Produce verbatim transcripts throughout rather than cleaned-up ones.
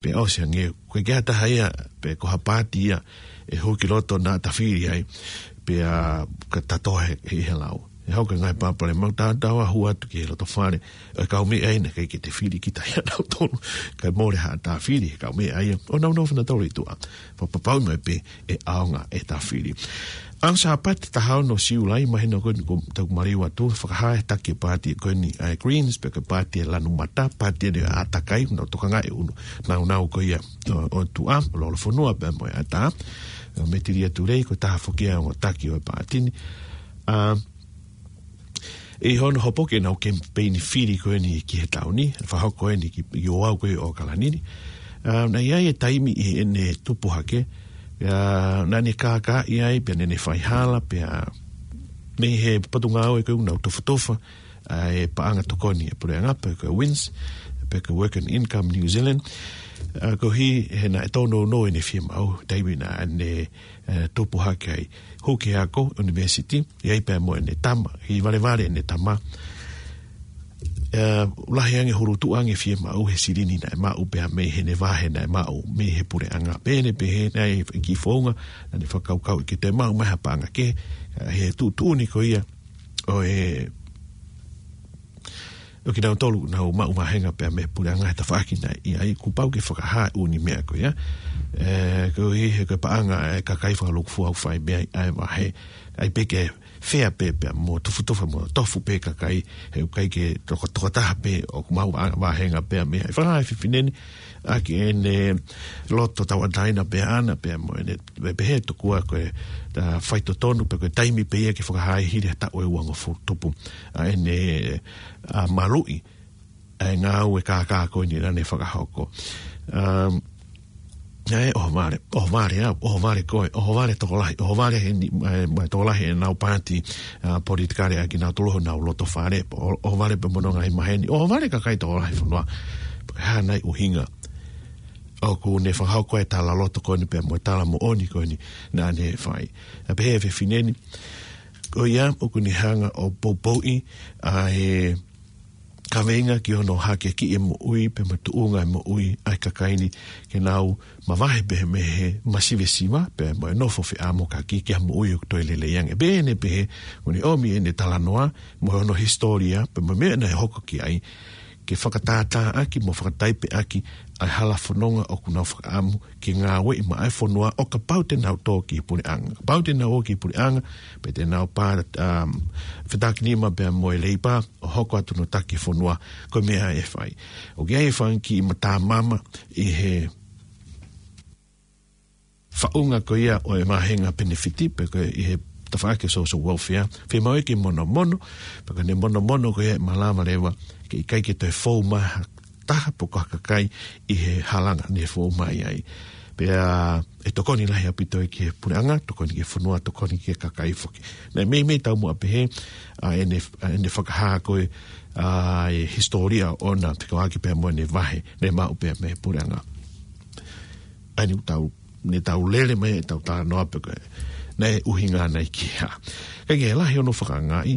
Pea ʻosi ange, ko e kiʻi taha ia, pe ko ha paati ia, ʻe hū ki loto naʻa ta fili ai, pea ka ta tohe ʻi he lau. ʻE hoko e ngaahi pāpale mau tātau a hū atu ki he loto fale, ʻe kau meʻa ʻa ia naʻe ʻikai ke te fili kita ia nautolu, kae mole ha ta fili, kau meʻa ʻa ia, ʻo nau nofo nautolu ʻi tuʻa. Fakapapauʻi mai pē ʻe ʻaonga ʻeta fili. ʻAho Sāpate taha ono Siulai, mahino ko eni ko tau maliu atu, fakahā ʻe he taki paati ko eni ʻa e Greens, pe ko e paati ʻa e Lanu Mata, paati ʻa e ʻātakai, nau tokangaʻi ʻunu, nau nau ko ia ʻo, ʻo tuʻa, ʻo lolofonua pea mo e ʻatā, ʻo Metilia Tulei, ko e taha foki ia ʻo e ongo taki ʻo e paati ni. ʻA, ʻi hono hopo ke nau kemipeini fili ko eni ki he taʻu ni, fakahoko eni ki, ki Oʻahu ko ē ʻo ʻAokalani ni. ʻA, naʻe ʻi ai e taimi ʻi heʻene tupu hake, ʻa, naʻa ne kākaaʻi ai, pea naʻa ne faihala, pea mei he potungāue ko ē ʻoku nau tofutofu, ʻa e paʻanga tokoni ʻa e puleʻanga pe ko e WINZ, pe ko e Work and Income New Zealand. ʻA, koeʻuhi he naʻe tōnounou ʻene fiemaʻu, taimi naʻa ne, ʻe, tupu hake ai. Hū ki he ako, university, ʻi ai pea mo ʻene tama, ʻi valevale ʻene tama. ʻE, lahi ange hulu tuʻu ange fiemaʻu he silini naʻe maʻu pea mei heʻene vahe naʻe maʻu, mei he puleʻanga. Pea ne pehē naʻe kiʻi founga, naʻa ne fakakaukauʻi ke toe maʻu mai ha paʻanga kehe, ʻa, he tuʻutuʻuni ko ia, ʻo e, ʻo kinautolu, nau maʻu vāhenga pea mei he puleʻanga he tafaʻaki naʻe ʻi ai, kuo pau ke fakahā ʻū meʻa ko ia. ʻE, koeʻuhi he ko e paʻanga ʻa e kakai fakalūkufua ʻoku fai mei ai ʻa e vahe. ʻAi pē ke fea pē pea mo tofutofu mo tofu pē kakai, he ʻoku ʻikai ke toko, tokotaha pē ʻoku maʻu vā-, vāhenga pea mei ai. Fakahā ʻe he fefine ni, ʻaki ʻene loto tauʻatāina pē ʻaʻana pea mo ʻene, pehē tokua ko e, ʻa, faitotonu pe ko e taimi pē ia ke fakahā hili ha taʻu ʻe uangofulu tupu. ʻA ʻene, ʻa, maluʻi, ʻa e ngāue kākā ko eni naʻa ne fakahoko. Um, ʻe, ʻohovale, ʻohovale au, ʻohovale koe, ʻohovale tokolahi, ʻohovale he ni, ʻe, mo e tokolahi ʻenau paati, ʻa, politikale ʻa kinautolu honau loto fale, ʻo, ʻohovale pea mo hono ngaahi maheni, ʻohovale kakai tokolahi fonua, pe ko e hā nai ʻuhinga ʻoku ne fakahoko e talaloto ko eni pea mo e talamoʻoni ko eni naʻa ne fai. ʻA, pehē ʻe he fefine ni, ko ia ʻoku ne hanga ʻo poupouʻi ʻa e kaveinga ki hono hakeakiʻi e moʻui pea mo e tuʻunga e moʻui ʻa e kakai ni ke nau mavahe pē mei he masivesiva pea mo e nofo feʻamokaki ki ha moʻui ʻoku toe lelei ange. Pea ne pehē, ʻoku ne ʻomi ʻene talanoa mo hono hisitōlia pea mo e meʻa naʻe hoko ki ai, ke fakatātāʻaki mo fakataipeʻaki ʻa e hala fononga ʻoku nau fakaʻamu ke ngāueʻi maʻa e fonua ʻo kapau te nau tō ki he puleʻanga. Kapau te nau ō ki he puleʻanga, pe te nau pā, um, fetākinima pea mo e Leipa, ʻo hoko atu hono taki e fonua, ko e meʻa ʻe fai. ʻOku ʻi ai e fanga kiʻi matamama ʻi he faʻunga ko ia ʻo e vāhenga penefiti, pe ko e ʻi he tafaʻaki social welfare, fiemaʻu ke monomono, pea ka ne monomono ko ia ʻe malava leva, ke ʻikai ke toe fou mai ha taha pe ko ha kakai ʻi he halanga ne fou mai ai. Pea ʻe tokoni lahi ʻaupito ia ki he puleʻanga, tokoni ki he fonua, tokoni ki he kakai foki. Naʻe meimei taumuʻa pehē, ʻa ʻene, ʻa ʻene fakahā ko ē, ʻa e hisitōlia ʻoʻona, fekauʻaki pea mo ʻene vahe, naʻe maʻu pē mei he puleʻanga. ʻA eni ʻoku tau, ne tau lele mai ʻetau talanoa pe ko e, naʻe ʻuhinga nai ki he hā. Ka ʻoku lahi hono fakaangaʻi,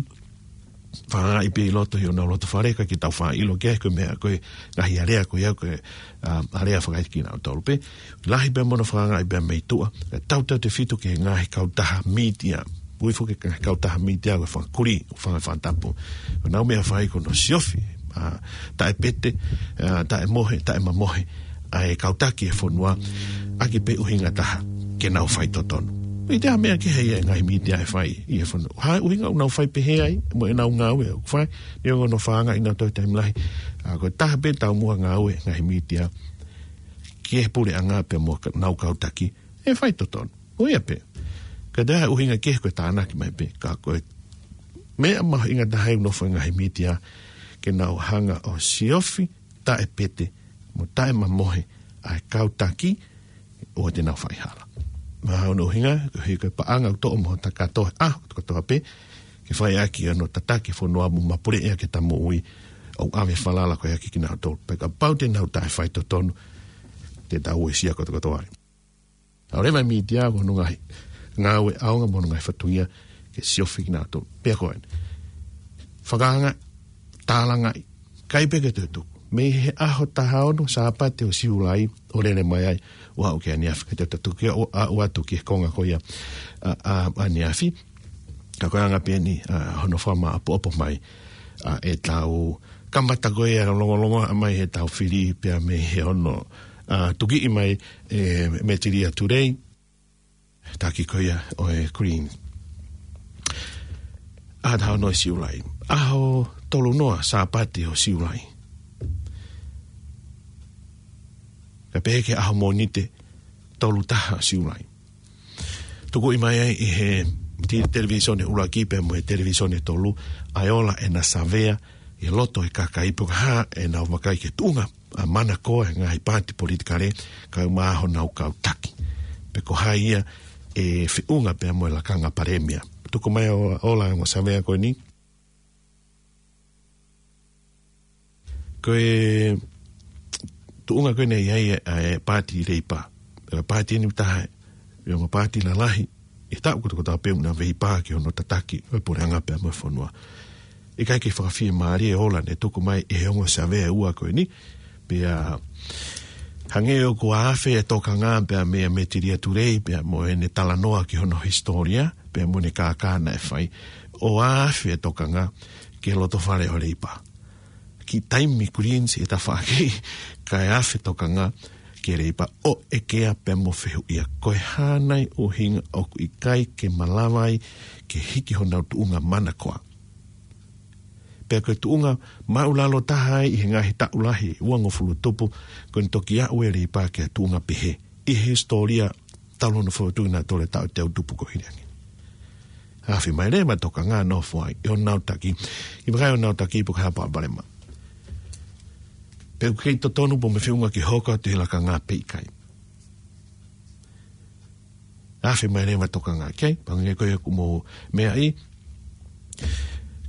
fakaangaʻi pē ʻi loto ʻi honau loto fale, ka ke tau faʻa ʻilo ki ai ko e meʻa ko e ngaahi alea ko ia ko e, ʻa, alea fakaʻikinautolu pē. Lahi pē mo hono fakaangaʻi pea mei tuʻa, ʻe tautautefito ki he ngaahi kautaha mītia. Ui foki ki he ngaahi kautaha mītia ko e fanga kulī, fanga fatapu. Ko ʻenau meʻa fai ko hono siofi, ʻa, taʻepete, ʻa, taʻemohe, taʻemamohe ʻa e kau taki e fonua, ʻaki pē ʻuhinga taha ke nau faitotonu. ʻIkai te ʻi ai ha meʻa kehe ia ʻa e ngaahi mītia ʻe fai ʻi he fonua. Hā e ʻuhinga ʻoku nau fai pehē ai, mo ʻenau ngāue ʻoku fai, neongo hono fakaangaʻi nautolu he taimi lahi. ʻA, ko e taha pē taumuʻa ngāue ʻa e ngaahi mītia ki he puleʻanga pea mo ka-, ʻenau kau taki, ʻe faitotonu. ʻO ia pē. ʻIkai te ʻi ai ha ʻuhinga kehe ko e tānaki mai pē, ka ko e meʻa mahuʻinga taha ʻoku nofo ai e ngaahi mītia, ke nau hanga ʻo siofi, taʻepete, mo taʻemamohe ʻa e kau taki, ʻoua te nau faihala. Mahalo ko hono ʻuhinga, koeʻuhi ko e paʻanga ʻoku toʻo mo hoʻo kakato he ʻaho kotoa pē, ke fai ʻaki hono tataki e fonua mo mapuleʻi ʻaki ʻeta moʻui, ʻo ʻave falala ko ia kiate kinautolu. Pea kapau te nau taʻefaitotonu, te tau uesia kotokotoa ai. ʻAlu leva e mītia mo hono ngaahi ngāue ʻaonga mo hono ngaahi fatongia ke siofi kinautolu. Pea ko eni. Fakaangaʻi, tālangaʻi, ʻikai pē ke toe tuku. mei he ʻaho taha ono Sāpate ʻo Siulai ʻo lele mai ai ʻo aʻu ki ʻaneafi. Ka te u tuku atu ki he konga ko ia ʻa, ʻa, ʻaneafi. Ka ko e anga pē eni ʻa hono fakamāʻopoʻopo mai ʻa ʻetau kamata ko ia longolongo mai ʻetau fili pea mei he ono ʻa tukiʻi mai ʻe Metilia Tulei, taki ko ia ʻo e Greens. ʻAho taha ono ʻo Siulai. ʻAho tolu noa Sāpate ʻo Siulai. Ka pehē ki he ʻaho Mōnite tolu taha Siulai. Tukuʻi mai ai ʻe he ti-, televīsone ʻuluaki pea mo e televīsone tolu, ʻa e ola ʻena savea ʻi loto ʻi he kakai pe ko e hā ʻenau vakai ki he tuʻunga ʻa Manakoa he ngaahi paati politikale, kae ʻumaʻā honau kau taki. Pe ko hai ia ʻe feʻunga pea mo e lakanga palēmia. Tuku mai ʻo, ʻo ola ʻa e ongo savea ko eni. Ko e tuʻunga ko eni ʻa e, ʻa e paati Leipa. Ko e paati eni ʻoku taha ʻi he ongo paati lalahi ʻi he taʻu kotoa kotoa pea ʻoku na veipā ki hono tataki ʻo e puleʻanga pea mo e fonua. ʻIkai ke fakafiemālie e ola ne tuku mai ʻe he ongo savea ʻe ua ko eni. Pea hangē ʻoku ʻafe e tokanga pea mei a Metilia Tulei, pea mo ʻene talanoa ki hono hisitōlia, pea mo ʻene kākā naʻe fai. ʻO ʻafe e tokanga ki he loto fale ʻo Leipa. Kiʻi taimi Greens ʻi he tafaʻaki, kae ʻafe tokanga ki he Leipa ʻo ʻekea pea mo fehuʻia. Ko e hā nai ʻuhinga ʻoku ʻikai ke malava ai ke hiki honau tuʻunga Manakoa. Pea ko e tuʻunga māʻulalo taha ai ʻi he ngaahi taʻu lahi uangofulu tupu, ko ʻene toki aʻu ʻe Leipa ki ha tuʻunga pehē ʻi he hisitōlia talu hono fokotuʻu ʻi he taʻu teau tupu ko Hiliangi. ʻAfe mai leva e tokanga ʻo nofo ai ʻi honau taki, ʻi he vakai ʻo honau taki pe ko e hā palopalema. Pe ʻoku kei totonu pe ʻoku feʻunga ke hoko atu he lakanga pe ʻikai. ʻAfe mai leva e tokanga, okay? Pea hangē ko ia ʻoku mou meaʻi,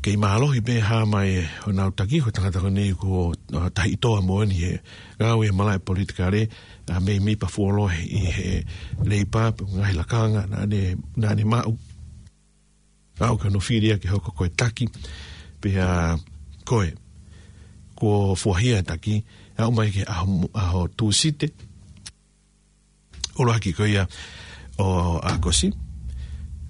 kei mālohi pē hā mai ʻe honau taki, ko e tangata ko eni ko, ʻa, Tahitoa moʻoni he ngāue he malaʻe politikale, ʻa, mei, mei Pafuolohe ʻi he Leipa, pe ngaahi lakanga naʻa ne, naʻa ne maʻu. Aʻu ki hono fili ia ke hoko ko e taki, pea ko e, kuo fuahia e taki, aʻu mai ki he ʻaho, ʻaho Tūsite ʻuluaki ko ia ʻo ʻAokosi,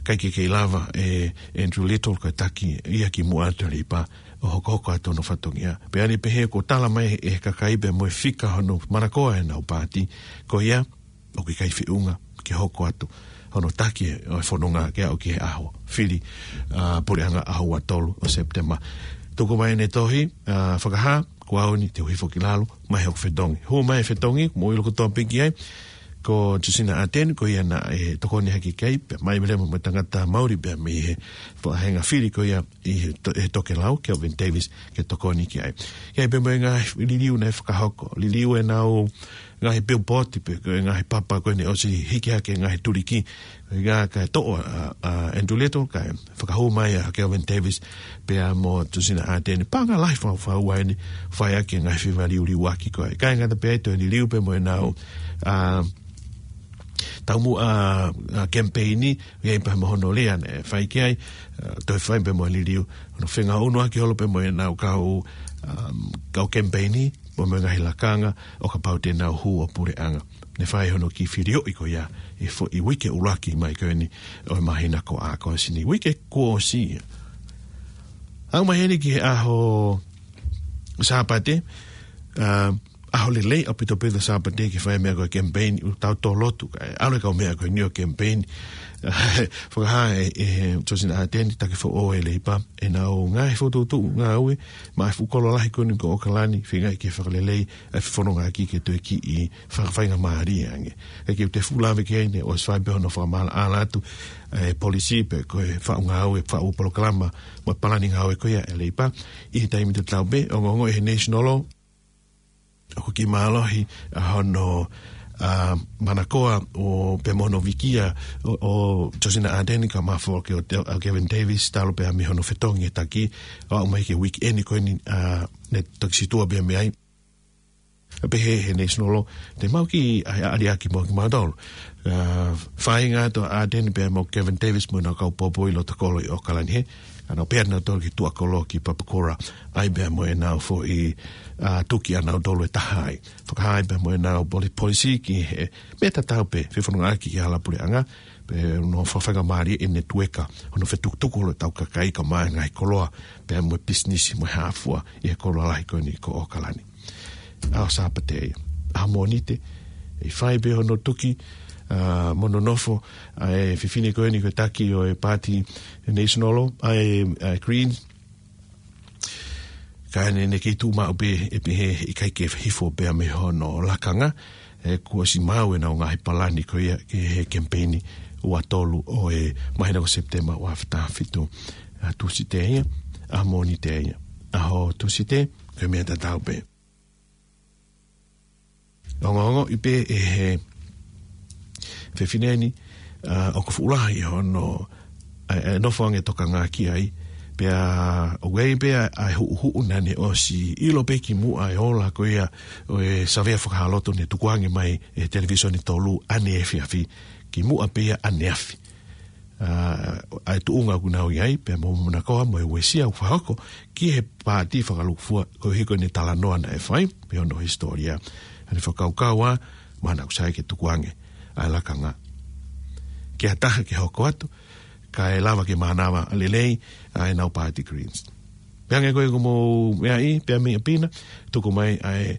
ʻikai ke kei lava ʻe Andrew Little ko e taki ia kimuʻa atu ʻa Leipa ʻo hokohoko atu hono fatongia. Pea ne pehē kuo tala mai ʻe he kakai pea mo e fika hono Manakoa ʻenau paati, ko ia ʻoku ʻikai feʻunga ke hoko atu hono taki ʻo e fononga ke aʻu ki he ʻaho fili, ʻa, puleʻanga ʻaho ua tolu ʻo Sepitema. Tuku mai ʻene tohi, ʻa, fakahā, ko au eni te u hifo ki lalo, mai hoku fetongi. Hū mai e fetongi, mou ʻilo kotoa pē ki ai, ko Tusina Ateni, ko ia naʻe tokoni hake ki ai, pea mai leva mo e tangata maʻuli pea mei he faʻahinga fili ko ia ʻi he to-, he tokelau, Kelvin Davis, ke tokoni ki ai. Ki ai pea mo e ngaahi liliu naʻe fakahoko, liliu ʻenau ngaahi pilipoti pe ko e ngaahi papa ko eni ʻosi hiki hake ngaahi tuliki, ʻa ia kae toʻo ʻa, ʻa Andrew Little, kae fakahū mai ʻa Kelvin Davis pea mo Tusina Ateni. Paʻanga lahi fakaʻofoʻofa eni, fai ʻaki e ngaahi fefaliuliuaki ko ē. ʻIkai ngata pē ai, toe liliu pea mo ʻenau, ʻa, taumuʻa, ʻa, kemipeini, ʻi ai pea mo hono lea naʻe fai ki ai, ʻa, toe fai pea mo e liliu hono fengāueʻaki holo pea mo ʻenau kau, um, kau kemipeini, pea mo e ngaahi lakanga, ʻo kapau te nau hū ʻo puleʻanga. Ne fai hono kiʻi filioʻi ko ia ʻi he foʻi uike ʻuluaki mai ko eni ʻo e māhina ko ʻAokosi ni, uike kuo ʻosi ia. Aʻu mai heni ki he ʻaho Sāpate, ʻa, ʻaho lelei ʻaupito pē ʻa Sāpate ke fai e meʻa ko e kemipeini, ʻoku tau tō lotu, kae ʻalu e kau meʻa ko eni ʻo kemipeini. Fakahā ʻe, ʻe Tusina Ateni, taki foʻou ʻe Leipa ʻenau ngaahi fokotuʻutuʻu ngāue maʻa e fuʻu kolo lahi ko eni ko ʻOkalani, feingaʻi ke fakalelei ʻa e fefonongaʻaki ke toe kiʻi fakafaingamālie ange. ʻIkai ke u toe fuʻu lave ki ai, ne ʻosi fai pē hono fakamaʻalaʻala atu e polisi pe ko e faʻu ngāue, faʻu polokalama mo e palani ngāue ko ia ʻa Leipa. ʻI he taimi tatau pē, ongoongo ʻe he National Law, ʻoku kiʻi mālohi ʻa hono, ʻa, Manakoa ʻo pea mo hono vikia ʻo, ʻo Tusina Ateni, kae mafola ki ai ʻo Kevin Davis, talu pē mei hono fetongi e taki, ʻo aʻu mai ki he uike eni ko eni, ʻa, ne toki situʻa pē mei ai. Pehē ʻe he National Law, te mau kiʻi ʻai ʻa liaki mo kimautolu. ʻA, feinga atu ʻa Ardern pea mo Kevin Davis mo ʻenau kau poupou ʻi loto kolo ʻi ʻOkalani hē. ʻA nau pehē nautolu ki tuʻa kolo ki Papakura. ʻAi pea mo ʻenau foʻi, ʻa, tuki ʻanautolu ʻe taha ai. Fakahā ai pea mo ʻenau poli-, polisī ki he meʻa tatau pē, fefonongaʻaki ki he hala puleʻanga, pea ʻoku nau fakafaingamālie ʻi he netueka, hono fetukutuku holo ʻetau kakai kae ʻumaʻā e ngaahi koloa, pea mo e pisinisi mo e hā fua ʻi he koloa lahi ko eni ko ʻOkalani. ʻAho Sāpate ia. ʻAho Mōnite, ʻe fai pē hono tuki, ʻa, mo hono nofo, ʻa e fefine ko eni ko e taki ʻo e Paati National, ʻa e, ʻa e Greens, ka ʻoku ne, ne kei tuʻu maʻu pē ʻe pehē ʻikai ke hifo pea mei hono lakanga, he kuo ʻosi maʻu ʻenau ngaahi palani ko ia ki he kemipeini ua tolu ʻo e māhina ko Sepitema ua afe taha fitu. ʻA Tūsite ia, ʻa Mōnite ia. ʻAho Tūsite, ko e meʻa tatau pē. Ongoongoʻi pē ʻe he fefine ni, ʻa, ʻoku fuʻu lahi hono, ʻa, ʻa e nofo ange tokanga ki ai, pea ʻoku ʻi ai pē ʻa e huʻuhuʻu naʻa ne ʻosi ʻilo pē kimuʻa e ola ko ia ʻo e savea fakahāloto ne tukuange mai ʻe he televīsone tolu ʻaneefiafi, kimuʻa pē ia ʻaneafi. ʻA, ʻa e tuʻunga ʻoku nau ʻi ai, pea mo Muna Koa mo e uesia ʻoku fakahoko ki he paati fakalūkufua, koeʻuhi ko ʻene talanoa naʻe fai, pea mo hono hisitōlia. ʻA ʻene fakakaukau ʻa, mahalo ʻoku sai ke tukuange ʻa e lakanga ki ha taha ke hoko atu, kae lava ke mānava lelei ʻa ʻenau paati Greens. Pea hangē ko ia ko mo meʻa ʻi, pea mei ʻapi na, tuku mai ʻa e,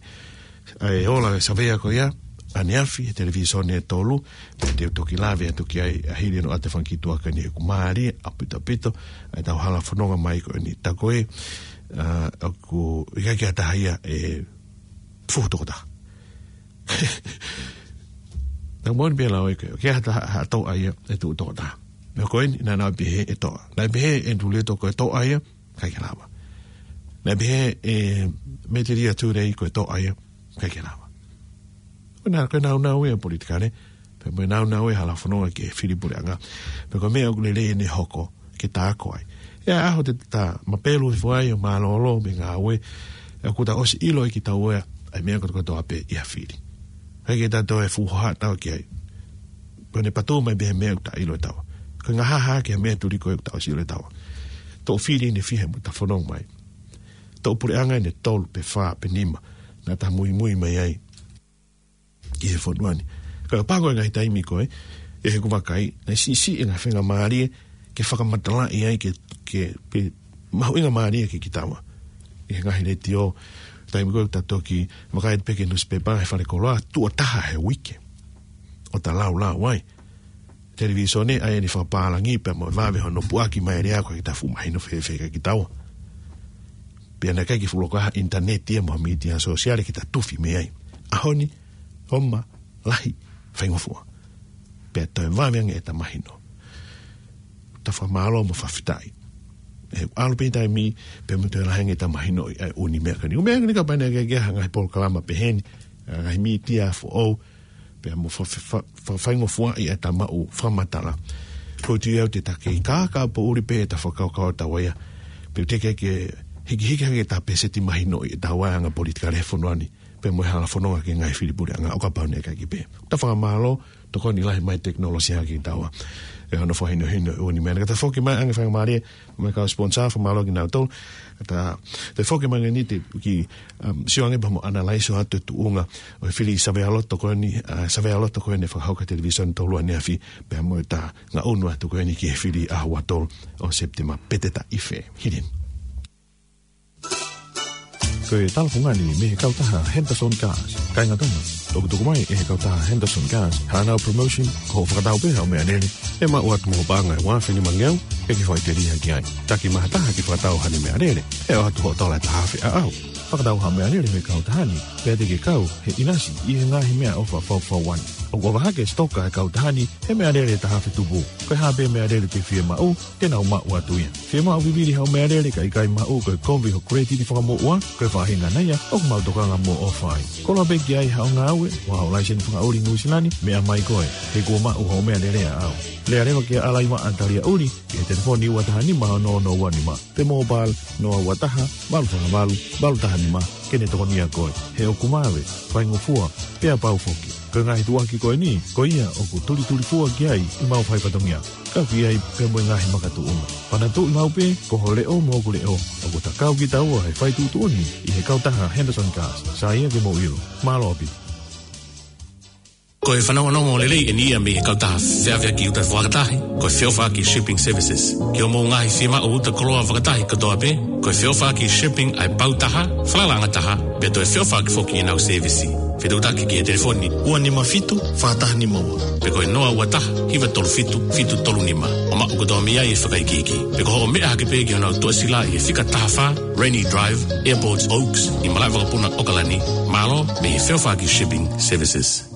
ʻa e ola e savea ko ia, ʻaneafi, he televīsone ʻe tolu, pea te u toki lave atu ki ai, ʻa hili ʻenau ʻata fanga kiʻi tuʻa ko eni ʻoku mālie ʻaupito ʻaupito, ʻa ʻetau hala fononga mai ko eni. Tā ko ē, ʻa, ʻoku ʻikai ke ʻi ai ha taha ia ʻe fuhu toko taha. Naʻe moʻoni pē lau ʻe koe, ke ha taha, ha toʻa ia ʻe tuʻu toko taha. Meʻa ko eni, naʻa nau pehē ʻe toʻa. Naʻe pehē ʻe Tuʻileto ko e toʻa ia, ʻikai ke lava. Naʻe pehē ʻe Metelio Tulei ko e toʻa ia, ʻikai ke lava. Ko e nā-, ko e nāunau ia ʻo e politikale, pea mo e nāunau ia ʻo e hala fononga ki he fili puleʻanga. Pea ko e meʻa ʻoku lelei ʻene hoko, ke ta ako ai. ʻI he ʻaho te ta mapelu hifo ai ʻo mālōlō mei he ngāue, ʻoku ta ʻosi ʻilo ʻe kitaua ʻa e meʻa kotokotoa pē ʻi ha fili. ʻIkai ke ta toe fuʻu hohaʻa taua ki ai. Ko ʻene patō mai pē he meʻa ʻoku ta ʻilo ʻe taua. Ko e ngaahi hā ki he meʻa tuli ko ē ʻoku ta ʻosi ʻilo ʻe taua. Toʻo fili ʻe he fiha mo ta fononga mai. Toʻo puleʻanga ʻe tolu pe fā pe nima naʻa ta muimui mai ai ki he fonua ni. Ka paʻanga ko e ngaahi taimi ko ē, ʻi heʻeku vakai, naʻe siʻisiʻi e ngaahi faingamālie ke fakamatalaʻi ai ke, ke, pe mahuʻingamālie ke kitaua. ʻI he ngaahi letiō, taimi ko ē ta toki vakai pē ki he nusipepa he fale koloa, tuʻo taha he uike ʻo ta laulau ai. Televīsone ʻa ʻene fakapālangi pea mo e vave hono puʻaki mai e lea ko ē ke ta fuʻu mahino fēfē kia kitaua. Pea naʻe ʻikai ke fuʻu loko ai ha ʻinitaneti ia mo e mītia sōsiale ke ta tufi mei ai. ʻAho ni, ʻoku lahi, faingofua. Pea toe vave ange ʻeta mahino. Ta fakamālō mo fakafetaʻi. ʻE ʻalu pē taimi, pea mo toe lahi ange ʻeta mahinoʻi ʻa e ʻū meʻa ko eni. ʻŪ meʻa ko eni kapau naʻe ʻikai ke ʻi ai ha ngaahi polokalama pehē ni, ʻa e ngaahi mītia foʻou, pea mo fa-, fa-, fa-, faingofua ʻi ʻeta maʻu fakamatala. Ko e tui au te ta kei kākā poʻuli pē ʻeta fakakaukau ʻataua ia. Pea te ke, ke hikihiki hake ʻeta peseti mahinoʻi ʻeta anga politikale he fonua ni. Pea mo e hala fononga ki he ngaahi fili puleʻanga ʻo kapau naʻe ʻikai ke pehē. Ta fakamālō, tokoni lahi mai tekinolosia kia kitaua. ʻE hono fakahinohino ʻo e ʻū meʻa. Ka ta foki mai ange faingamālie, mo e kau sponsor, fakamālō kia nautolu. Ka ta, te foki mai ange ni te u kiʻi, um, sio ange pea mo analyze atu e tuʻunga ʻo e fili savealoto ko eni, ʻa, savealoto ko eni fakahoko he televīsone tolu ʻaneafi, pea mo ʻeta ngaʻunu atu ko eni ki he fili ʻaho ua tolu ʻo Sepitema, pe te ta ʻi fē. Hili eni. Ko e tala fungani mei he kautaha Henderson Gas. Kāinga Tonga, ʻoku tuku mai ʻe he kautaha Henderson Gas haʻanau promotion, ko hoʻo fakatau pē haʻo meʻalele, ʻe maʻu atu mo ho paʻanga ʻe ua afe nima ngeau, ʻe ke fai telia ki ai. Taki mai ha taha ke fakatau haʻane meʻalele, ʻe ʻoatu hoʻo tola ʻe taha afe ʻaʻau. Fakatau haʻo meʻalele mei he kautaha ni, pea te ke kau he ʻinasi ʻi he ngaahi meʻaʻofa fakafaifekau ni. ʻOku ʻofa hake e sitoka ʻa e kautaha ni he meʻalele ʻe taha afe tupu. Ko e hā pē meʻalele te ke fiemaʻu, te nau maʻu atu ia. Fiemaʻu vivili haʻo meʻalele kae ʻikai maʻu, ko e kovi hoʻo credit fakamoʻua, ko e faʻahinga ia ʻoku mau tokanga mo ʻofa ai. Koloa pē ki ai haʻo ngāue, mo haʻo laiseni fakaʻuli Nuʻu Sila ni, meʻa mai koe. He kuo maʻu hoʻo meʻalele ʻaʻau. Lea leva kia Alaivaʻa Taliaʻuli, ki he telefoni ua taha nima ono ono ua nima. Pe mobile, noa ua taha, valu fā valu, valu taha nima, ke ne tokonia koe. He ʻoku vave, faingofua, pea pau foki. Ko e ngaahi tuʻuaki ko eni, ko ia ʻoku tulitulifua ki ai ʻemau fai fatongia. Kau ki ai pea mo e ngaahi makatuʻunga. Panatuʻi maʻu pē, ko ho leʻo mo hoku leʻo, ʻoku ta kau kitaua he fai tuʻutuʻuni ʻi he kautaha Henderson Cars. Sai ia ke mou ʻilo. Mālō ʻaupito. Ko e fanongonongo lelei eni ia mei he kautaha feʻaveʻaki uta fakatahi, ko e feʻofaʻaki Shipping Services. Ki hoʻomou ngaahi fiemaʻu uta koloa fakatahi kotoa pē, ko e feʻofaʻaki Shipping ʻa e pau taha, falalaʻanga taha, pea toe feʻofaʻaki foki ʻenau sēvisi. Fetuʻutaki ki he telefoni ua nima fitu, fā taha nima ua. Pe ko e noa ua taha, hiva tolu fitu, fitu tolu nima. ʻO maʻu kotoa mei ai e fakaikiiki. Pe ko hoʻo meʻa hake pē ki honau tuʻasila ʻi he fika taha fā, Rainy Drive, Airport Oaks, ʻi Malaʻevakapuna, ʻAokalani. Mālō mei he feʻofaʻaki Shipping Services.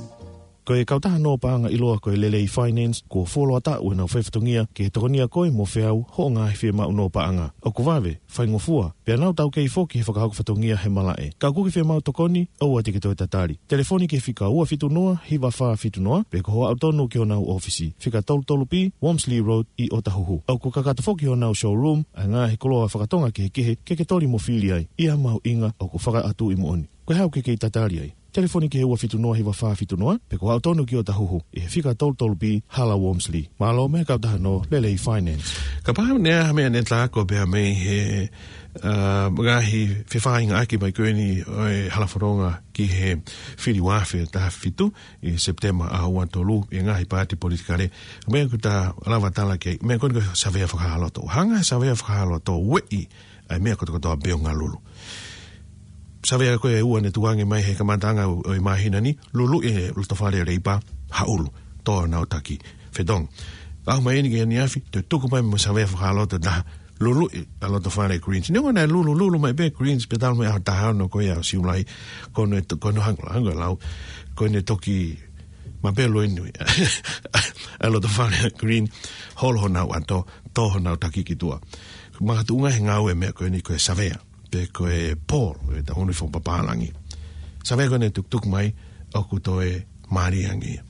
Ko e kautaha nō paʻanga ʻiloa ko e Lelei Finance, kuo fuoloa taʻu ʻenau fai fatongia ke tokonia koe mo feau hoʻo ngaahi fiemaʻu nō paʻanga. ʻOku vave, faingofua, pea nau taukei foki he fakahoko fatongia he malaʻe. Ka ʻoku ke fiemaʻu tokoni, ʻoua te ke toe tatali. Telefoni ki he fika ua fitu noa, hiva fā fitu noa, pe ko hoʻo aʻu tonu ki honau ʻōfisi, fika tolu tolu B, Wormsley Road, ʻi ʻOtahuhu. ʻOku kakato foki honau showroom ʻa e ngaahi koloa fakatonga kehekehe ke ke toli mo fili ai. ʻI ha mahuʻinga ʻoku fakaʻatuʻi moʻoni. Ko e hā ʻoku ke kei tatali ai? Telefoni ki he ua fitu noa hiva fā fitu noa, pe ko hoʻo aʻu tonu ki ʻOtahuhu, ʻi he fika tolu tolu B Hala Wormsley. Mālō mei he kautaha nō Lelei Finance. Kapau ne ʻi ai ha meʻa ne tā ko e pehē mei he, ā, ngaahi fefaʻuhiʻaki mai ko eni ʻo e halafononga ki he fili ua afe taha fitu ʻi Sepitema ʻaho ua tolu ʻi he ngaahi paati politikale. Meʻa ʻoku ta lava tala ki ai, meʻa ko eni ko e savea fakahāloto. Hanga savea fakahāloto, ueʻi ʻa e meʻa kotokotoa pē ʻo Honolulu. Savea ko ē ʻe ua ne tukuange mai he kamataʻanga ʻo, ʻo e māhina ni, luluʻi e lotofale Leipa, Haʻulu, tō honau taki. Fetong. ʻAho mai eni ki he ʻaneafi, toe tuku mai mo e savea fakahāloto ʻe taha, luluʻi ʻa e lotofale Greens. Neongo naʻe lulu, lulu mai pē Greens, pea talu mei he ʻaho taha ono ko ia ʻo Siulai, ko ʻene to-, ko ʻene hangē, hangē lau, ko ʻene toki mapelo eni ʻa e lotofale Green, holo honau ʻato, tō honau taki ki tuʻa. Makatuʻunga he ngāue meʻa ko eni ko e savea, pe ko e poll, ʻe taʻu ni fakapapālangi. Savea ko eni tukutuku mai, ʻoku toe mālie ange ia.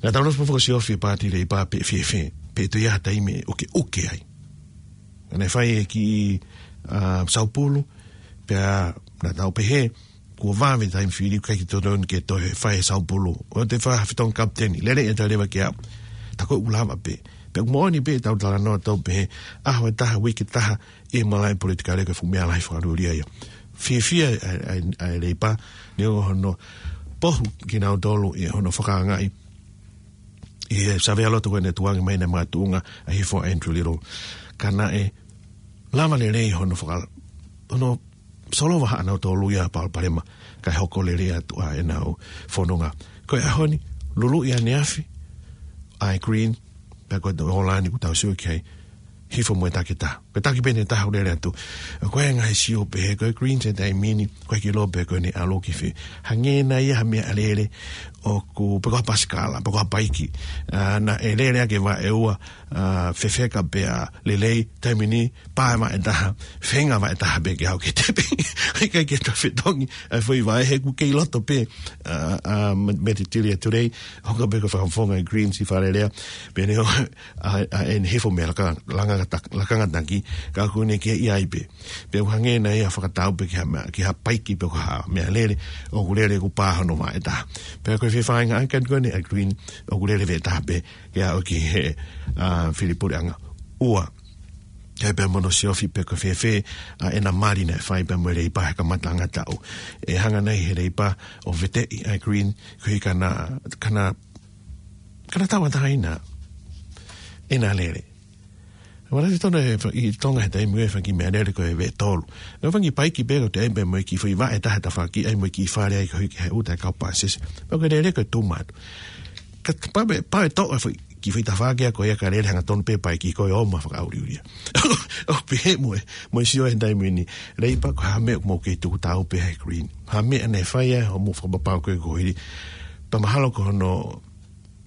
Naʻa tau ʻosi pē fakasiofi paati Leipa pe fēfē, pe toe ʻi ai ha taimi ʻoku ke ʻuke ai. Naʻe fai e kiʻi, ā, saupulu, pea naʻa tau pehē, kuo vave taimi fili, ʻikai ke totonu ke toe fai e saupulu. ʻOua te fai ha fetongi kapiteni, lele e taleva ke aʻu. Tā ko ē ʻoku lava pē. Pea ʻoku moʻoni pē ʻetau talanoa tau pehē, ʻaho ʻe taha, uike ʻe taha, ʻi he malaʻe politikale ko e fuʻu meʻa lahi fakalūlia ia. Fiefia ʻa e, ʻa e, ʻa e Leipa, neongo hono pohu kinautolu ʻi hono fakaangaʻi ʻi he savea loto ko ē ne tukuange mai naʻe makatuʻunga ʻa e hifo ʻa Andrew Little. Ka naʻe lava lelei hono faka-, hono solova haʻanautolu ia palopalema, kae hoko lelei atu ʻa ʻenau fononga. Ko e ʻaho ni, luluʻi ʻaneafi ʻa e Green, pea ko e tō ʻOlani ʻoku tau sio ki ai, hifo mo e taki ʻe taha. Ko e taki pē ʻe taha ʻoku lele atu. Ko e ngaahi sio pehē ko e Greens he taimi ni, ko e kilo pē ko ʻene ʻalu ki fē. Hangē nai ha meʻalele ʻoku, pe ko ha pasikala, pe ko ha paiki. Ā, naʻe lele ake vaʻe ua, ā, fefeka pea lelei, taimi ni, pā vaʻe ʻe taha, feinga vaʻe ʻe taha pē ke aʻu ki he tepi. ʻIkai ke toe fetongi ʻa e foʻi vaʻe he ʻoku kei loto pē, ā, ā, me, Metetilia Today, hoko pē ko e fakafofonga ʻa e Greens ʻi Fale Alea, pea ne ʻo, ā, ā, ʻene hifo mei he laka-, langa-, laka-, lakanga taki, ka ʻoku ne kei ʻi ai pē. Pea ʻoku hangē nai ha fakatau pē ki ha meʻa, ki ha paiki pe ko ha meʻalele, ʻoku lele ʻoku pā hono vaʻe ʻe taha. Pea ko e fefaʻuhinga ʻa e kani ko eni ʻa e Green, ʻoku lele vaʻe ʻe taha pē, ke aʻu ki he, ā, fili puleʻanga. Ua, ke pehē mo hono siofi pe ko e fēfē ʻa ʻena mali naʻe fai pea mo e Leipa he kamataʻanga taʻu. ʻE hanga nai he Leipa ʻo veteʻi ʻa e Green, koeʻuhi ka na, ka na, ka na tauʻatāina ʻena lele. Ua lasi tonu ʻe fa-, ʻi Tonga he taimi ʻe fai ki he meʻalele ko e vaʻe ʻe tolu. ʻE fai ki he paiki pē ko e toe ʻai pē mo e kiʻi foʻi vaʻe ʻe taha he tafaʻaki, ʻai mo e kiʻi fale ai koeʻuhi ke ʻai ʻuta e kau pāsese. Pea ko e lele ko e too much. Ka t-, pau pē, pau ʻe toʻo e foʻi, kiʻi foʻi tafaʻaki ko ia ka lele hanga tonu pē paiki ko e ō mai fakaʻuliʻulia. ʻO pehē mo e, mo e sio he taimi ni. Leipa ko e hā e meʻa ʻoku mou kei tuku taau pē he Green. Hā e meʻa naʻe fai ai hoʻomou fakapapau ko ē ko hili. Pea mahalo ko hono,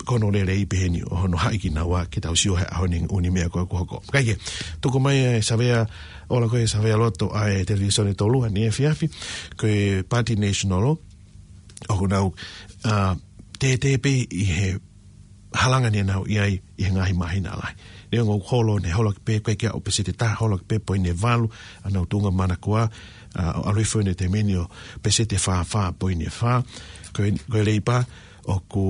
ko hono lelei peheni ʻo hono haʻi kinaua ke tau sio he ʻaho ni ʻū meʻa ko ē ʻoku hoko. Kae kehe, tuku mai e savea, ola ko e savea loto ʻa e televīsone Tolu ʻaneefiafi, ko e Paati National, ʻoku nau, ā, tētē pē ʻi he halanga naʻa nau ʻi ai ʻi he ngaahi māhina lahi. Neongo ʻoku holo, ne holo ʻaki pē ko e ʻikai ke aʻu peseti ʻe taha, holo ʻaki pē poini ʻe valu ʻenau tuʻunga manakoa, ā, ʻo ʻalu hifo ʻi he taimi ni ʻo peseti ʻe fā fā poini ʻe fā. Ko e, ko e Leipa ʻoku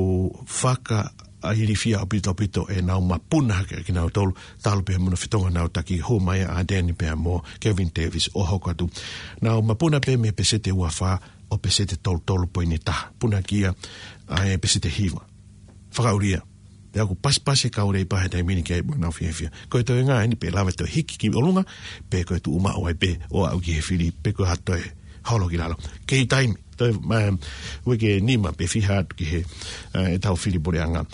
fakailifia ʻaupito ʻaupito ʻenau mapuna hake kinautolu, talu pē mo hono fetongi ʻenau taki, hū mai ʻa Ardern pea mo Kevin Davis ʻo hoko atu. Nau mapuna pē mei he peseti ʻe ua fā ʻo peseti ʻe tolu tolu poini ʻe taha. Punakia ʻa e peseti ʻe hiva. Fakaʻulia. Pea ʻoku pasipasi e kau Leipa he taimi ni ki ai mo ʻenau fiefia. Ko e toenga eni pe lava toe hiki ki ʻolunga, pe ko e tuʻu maʻu ai pē ʻo aʻu ki he fili, pe ko e hā toe holo ki lalo. Kei taimi, toe, um, uike ʻe nima pe fiha atu ki he, uh, ʻetau fili puleʻanga.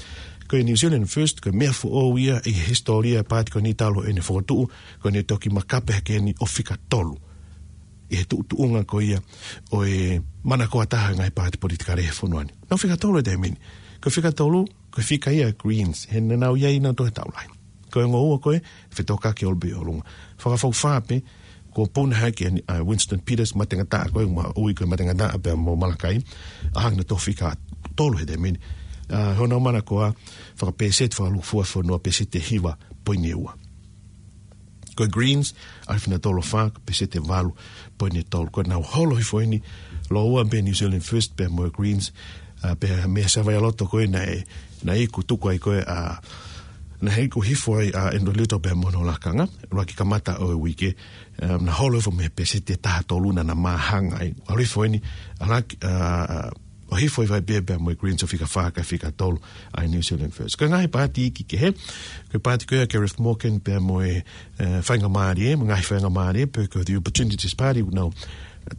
Ko e New Zealand First, ko e meʻa foʻou ia ʻi he hisitōlia e paati ko eni talu ʻene fokotuʻu, ko ʻene toki makape hake eni ʻo fika tolu ʻi he tuʻutuʻunga ko ia ʻo e manakoa taha e ngaahi paati politikale he fonua ni. Nau fika tolu he taimi ni. Ko e fika tolu, ko e fika ia e Greens, he naʻa nau ʻi ai nautolu he taulahi. Ko e ongo ua ko e fetokaki ʻo aʻu pē ʻolunga. Fakafoki fā pē, kuo puna hake ʻa Winston Peters, matengataʻa ko e, ma ui ko e matengataʻa pea mo Malakai, ʻa hangē naʻa nau fika tolu he taimi ni. Ā, honau manakoa fakapeseti fakalūkufua fonua peseti ʻe hiva poini ʻe ua. Ko e Greens, ʻa e fina tolo fā, ko e peseti ʻe valu poini ʻe tolu. Ko ʻenau holo hifo eni, lōua pē New Zealand First pea mo e Greens, ā, pea mei he savea loto ko ē naʻe, naʻe iku tuku ai ko ē, ā, naʻe iku hifo ai ʻa Andrew Little pea mo hono lakanga, ʻuluaki kamata ʻo e uike, ā, naʻe holo hifo mei he peseti ʻe taha tolu naʻa na māhanga ai. ʻAlu hifo eni, ʻa laki, ā, ʻo hifo ʻi vai pē pea mo e Greens ʻo fika fā kae fika tolu ʻa e New Zealand First. Ko e ngaahi paati iiki kehe, ko e paati ko ia ʻa Gareth Morgan pea mo e, ē, faingamālie, mo e ngaahi faingamālie, pe ko e The Opportunities Party, ʻoku nau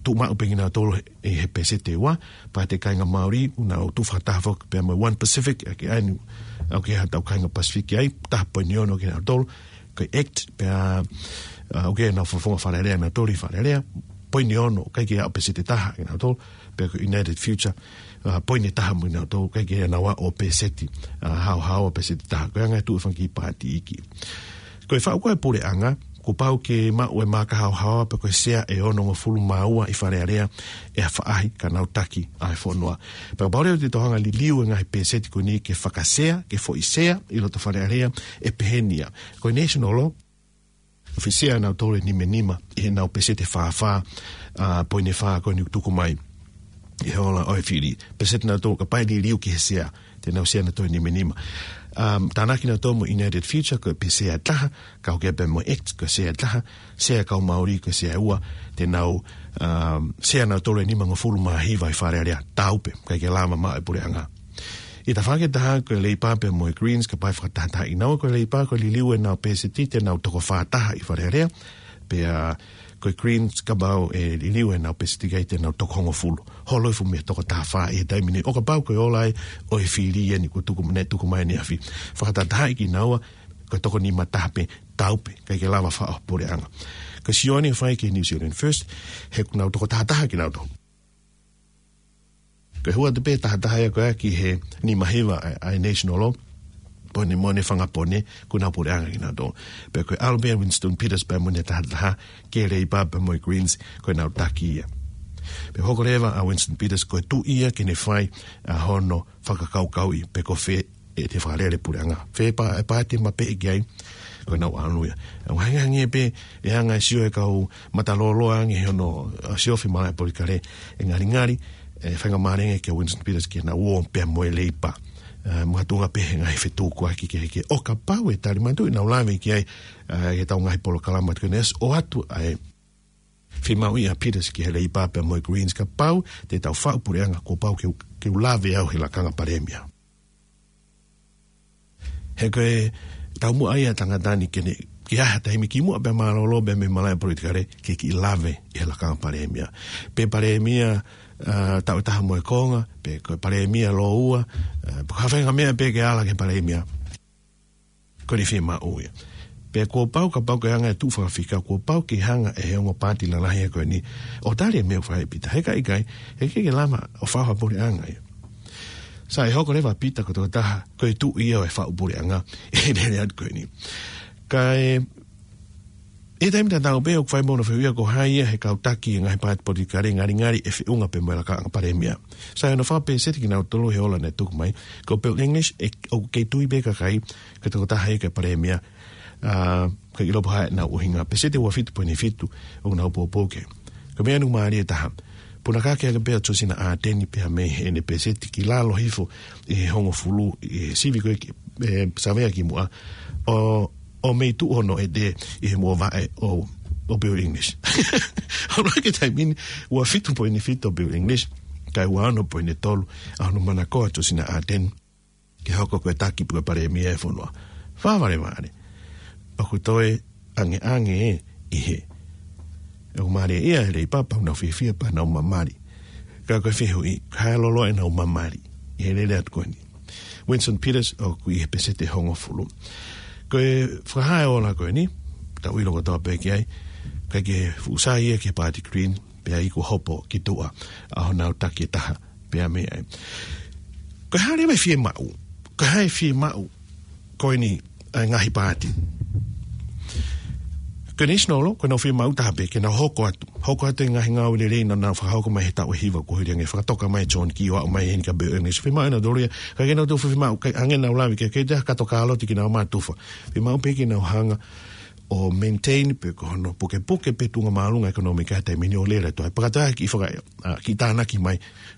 tuʻu maʻu pē kinautolu ʻi he peseti ʻe ua, paati ʻa e kāinga Māori, ʻoku nau tuʻu fakataha foki pea mo e One Pacific, ʻa ia ko eni, ʻoku ʻi ai haʻatau kāinga Pasifiki ai, taha poini ono kinautolu, ko e act, pea, ā, ʻoku ʻi ai ʻenau fakafofonga Fale Alea, nautolu ʻi Fale Alea, poini ono, ʻikai ke aʻu peseti ʻe taha kinautolu, pea ko e United Future, ā, poini ʻe taha mo kinautolu, ʻikai ke nau aʻu peseti, ā, haohaoa peseti ʻe taha, ko e anga e tuʻu e fanga kiʻi paati iiki. Ko e faʻu ko ē puleʻanga, kuo pau ke maʻu e maaka haohaoa pe ko e sea ʻe onongofulu mā ua ʻi Fale Alea ʻe faʻahi ka nau taki ʻa e fonua. Pea kapau leva te tau hanga liliu e ngaahi peseti ko eni ke fakasea, ke foʻi sea ʻi loto Fale Alea, ʻe peheni ia. Ko e National Law, ʻoku fai sea nautolu ʻe nima nima ʻi heʻenau peseti ʻe fā fā, ā, poini ʻe fā ko eni ʻoku tuku mai ʻi he ola ʻo e fili. Peseti nautolu kapau ʻe liliu ki he sea, te nau sea nautolu ʻe nima nima. Um, tānaki nautolu mo United Future ko e sea ʻe taha, kau ki ai pea mo act ko e sea ʻe taha, sea kau Māori ko e sea ʻe ua, te nau, um, sea nautolu ʻe nimangofulu mā hiva ʻi Fale Alea, taau pē, ʻikai ke lava maʻu ʻe he puleʻanga. ʻI he tafaʻaki ʻe taha ko e Leipa pea mo e Greens, kapau ʻe fakatahatahaʻi kinaua, ko e Leipa ko e liliu ʻenau peseti te nau toko fā taha ʻi Fale Alea, pea ko e Greens kapau ʻe liliu ʻenau peseti ki ai te nau toko hongofulu. Holo hifo mei he toko taha fā ʻi he taimi ni. ʻO kapau ko e ola ia ʻo e fili eni kuo tuku, naʻe tuku mai ʻaneafi. Fakatahatahaʻi kinaua, ko e toko nima taha pē, taau pē, ʻikai ke lava faʻo puleʻanga. Ko e sio eni ʻoku fai ki he New Zealand First, he ʻoku nau toko taha taha kinautolu. Ko e hū atu pē taha taha ia ko ē ki he nima hiva ʻa e, ʻa e National Law, pone mo ʻene fanga pone, kuo nau puleʻanga kinautolu. Pea ko e ʻalu pē ʻa Winston Peters pea mo ʻene taha taha ki he Leipa pea mo e Greens, ko ʻenau taki ia. Pea hoko leva ʻa Winston Peters ko e tuʻi ia ke ne fai ʻa hono fakakaukauʻi pe ko fē ʻe te fakalele puleʻanga. Fē pa-, e paati ʻe mapeʻe ki ai, ko ʻenau ʻalu ia. ʻOku hangē pē, ʻe hanga ʻe he sio ʻa e kau matalōloa ange he hono, ā, siofi malaʻe politikale, ʻe ngalingali, ʻe faingamālie ange kia Winston Peters ke na ō pea mo e Leipa. Ā, mo ha tuʻunga pē he ngaahi fetukuaki kehekehe. ʻO kapau ʻe tali mai atu ʻenau lave ki ai, ā, ʻi heʻetau ngaahi polokalama atu ki he next, ʻoatu ʻa e fiemaʻu ia ʻa Peters ki he Leipa pea mo e Greens, kapau te tau faʻu puleʻanga kuo pau ke u, ke u lave au he lakanga palēmia. He ko e taumuʻa ia ʻa e tangata ni ke ne, ke ʻi ai ha taimi kimuʻa pea mālōlō pea mei he malaʻe politikale ke kiʻi lave ʻi he lakanga palēmia. Pe palēmia, ā, taʻu ʻe taha mo e konga, pe ko e palēmia lōua, ā, pe ko ha faʻahinga meʻa pē ke ala ki he palēmia. Ko ʻene fiemaʻu ia. Pea kuo pau, kapau ke hanga ʻe he tuʻu fakafika, kuo pau ke hanga ʻe he ongo paati lalahi ko eni ʻo tali e meʻa ʻoku fai ʻe Pita. He ka ʻikai, he ʻikai ke lava ʻo faʻu ha puleʻanga ia. Sai, hoko leva ʻa Pita ko e tokotaha, ko e tuʻi ia ʻo e faʻu puleʻanga ʻi he lele atu ko eni. Kae, ʻi he taimi tatau pē ʻoku fai mo hono fehuʻia ko hai ia he kau taki e ngaahi paati politikale ngalingali ʻe feʻunga pē mo e lakanga palēmia. Sai, hono fakapēseti kinautolu he ola naʻe tuku mai, ko Bill English, ʻe, ʻoku kei tui pē kakai ko e tokotaha ia ko e palēmia, ʻa, ka ʻilo pē ʻenau ʻuhinga. Pēseti ua fitu poini fitu ʻoku nau poupou ki ai. Ko e meʻa ʻoku mālie taha, punakaki ake pē ʻa Josina Ardern pea mei heʻene pēseti ki lalo hifo ʻi he hongofulu, ʻi he sivi ko ē ki, ʻe, savea kimuʻa, ʻo, ʻo mei tuʻu hono ʻete ʻi he muʻa vaʻe ʻo, ʻo Bill English. Hono ʻai ki he taimi ni, ua fitu poini fitu ʻa Bill English, kae ua ono poini tolu ʻa hono manakoa ʻa Josina Ardern ke hoko ko e taki pe ko e palēmia e fonua. Fakavalevale. ʻOku toe angeange ē ʻi he, ʻoku mālie ia he Leipa pea nau fiefia pea nau mamali. Ka ko e fehuʻi, ko hai loloa ʻenau mamali ʻi he lele atu ko eni? Winston Peters ʻoku ʻi he pēseti ʻe hongofulu. Ko e fakahā e ola ko eni, tau ʻilo kotoa pē ki ai, ʻikai ke fuʻu sai ia ki he paati Green, pea ʻi ai kuo hopo ki tuʻa ʻa honau taki ʻe taha pea mei ai. Ko e hā leva e fiemaʻu, ko e hā e fiemaʻu ko eni ʻa e ngaahi paati? Ko e National, ko ʻenau fiemaʻu taha pē ke nau hoko atu, hoko atu e ngaahi ngāue lelei naʻa nau fakahoko mai he taʻu ʻe hiva kuo hili ange, fakatoka mai John Key ʻo aʻu mai heni kia Bill English. Fiemaʻu ʻenautolu ia, ka ke nau toe fiemaʻu, kae hangē naʻa ku lave ki ai, ʻikai toe ha kato kāloti ke nau mātufa. Fiemaʻu pē ke nau hanga ʻo maintain pe ko hono pukepuke pē tuʻunga māʻolunga ʻekonōmika he taimi ni ʻo lele atu ai. Pea ka toe ʻai ke faka-, ʻa, ke tānaki mai,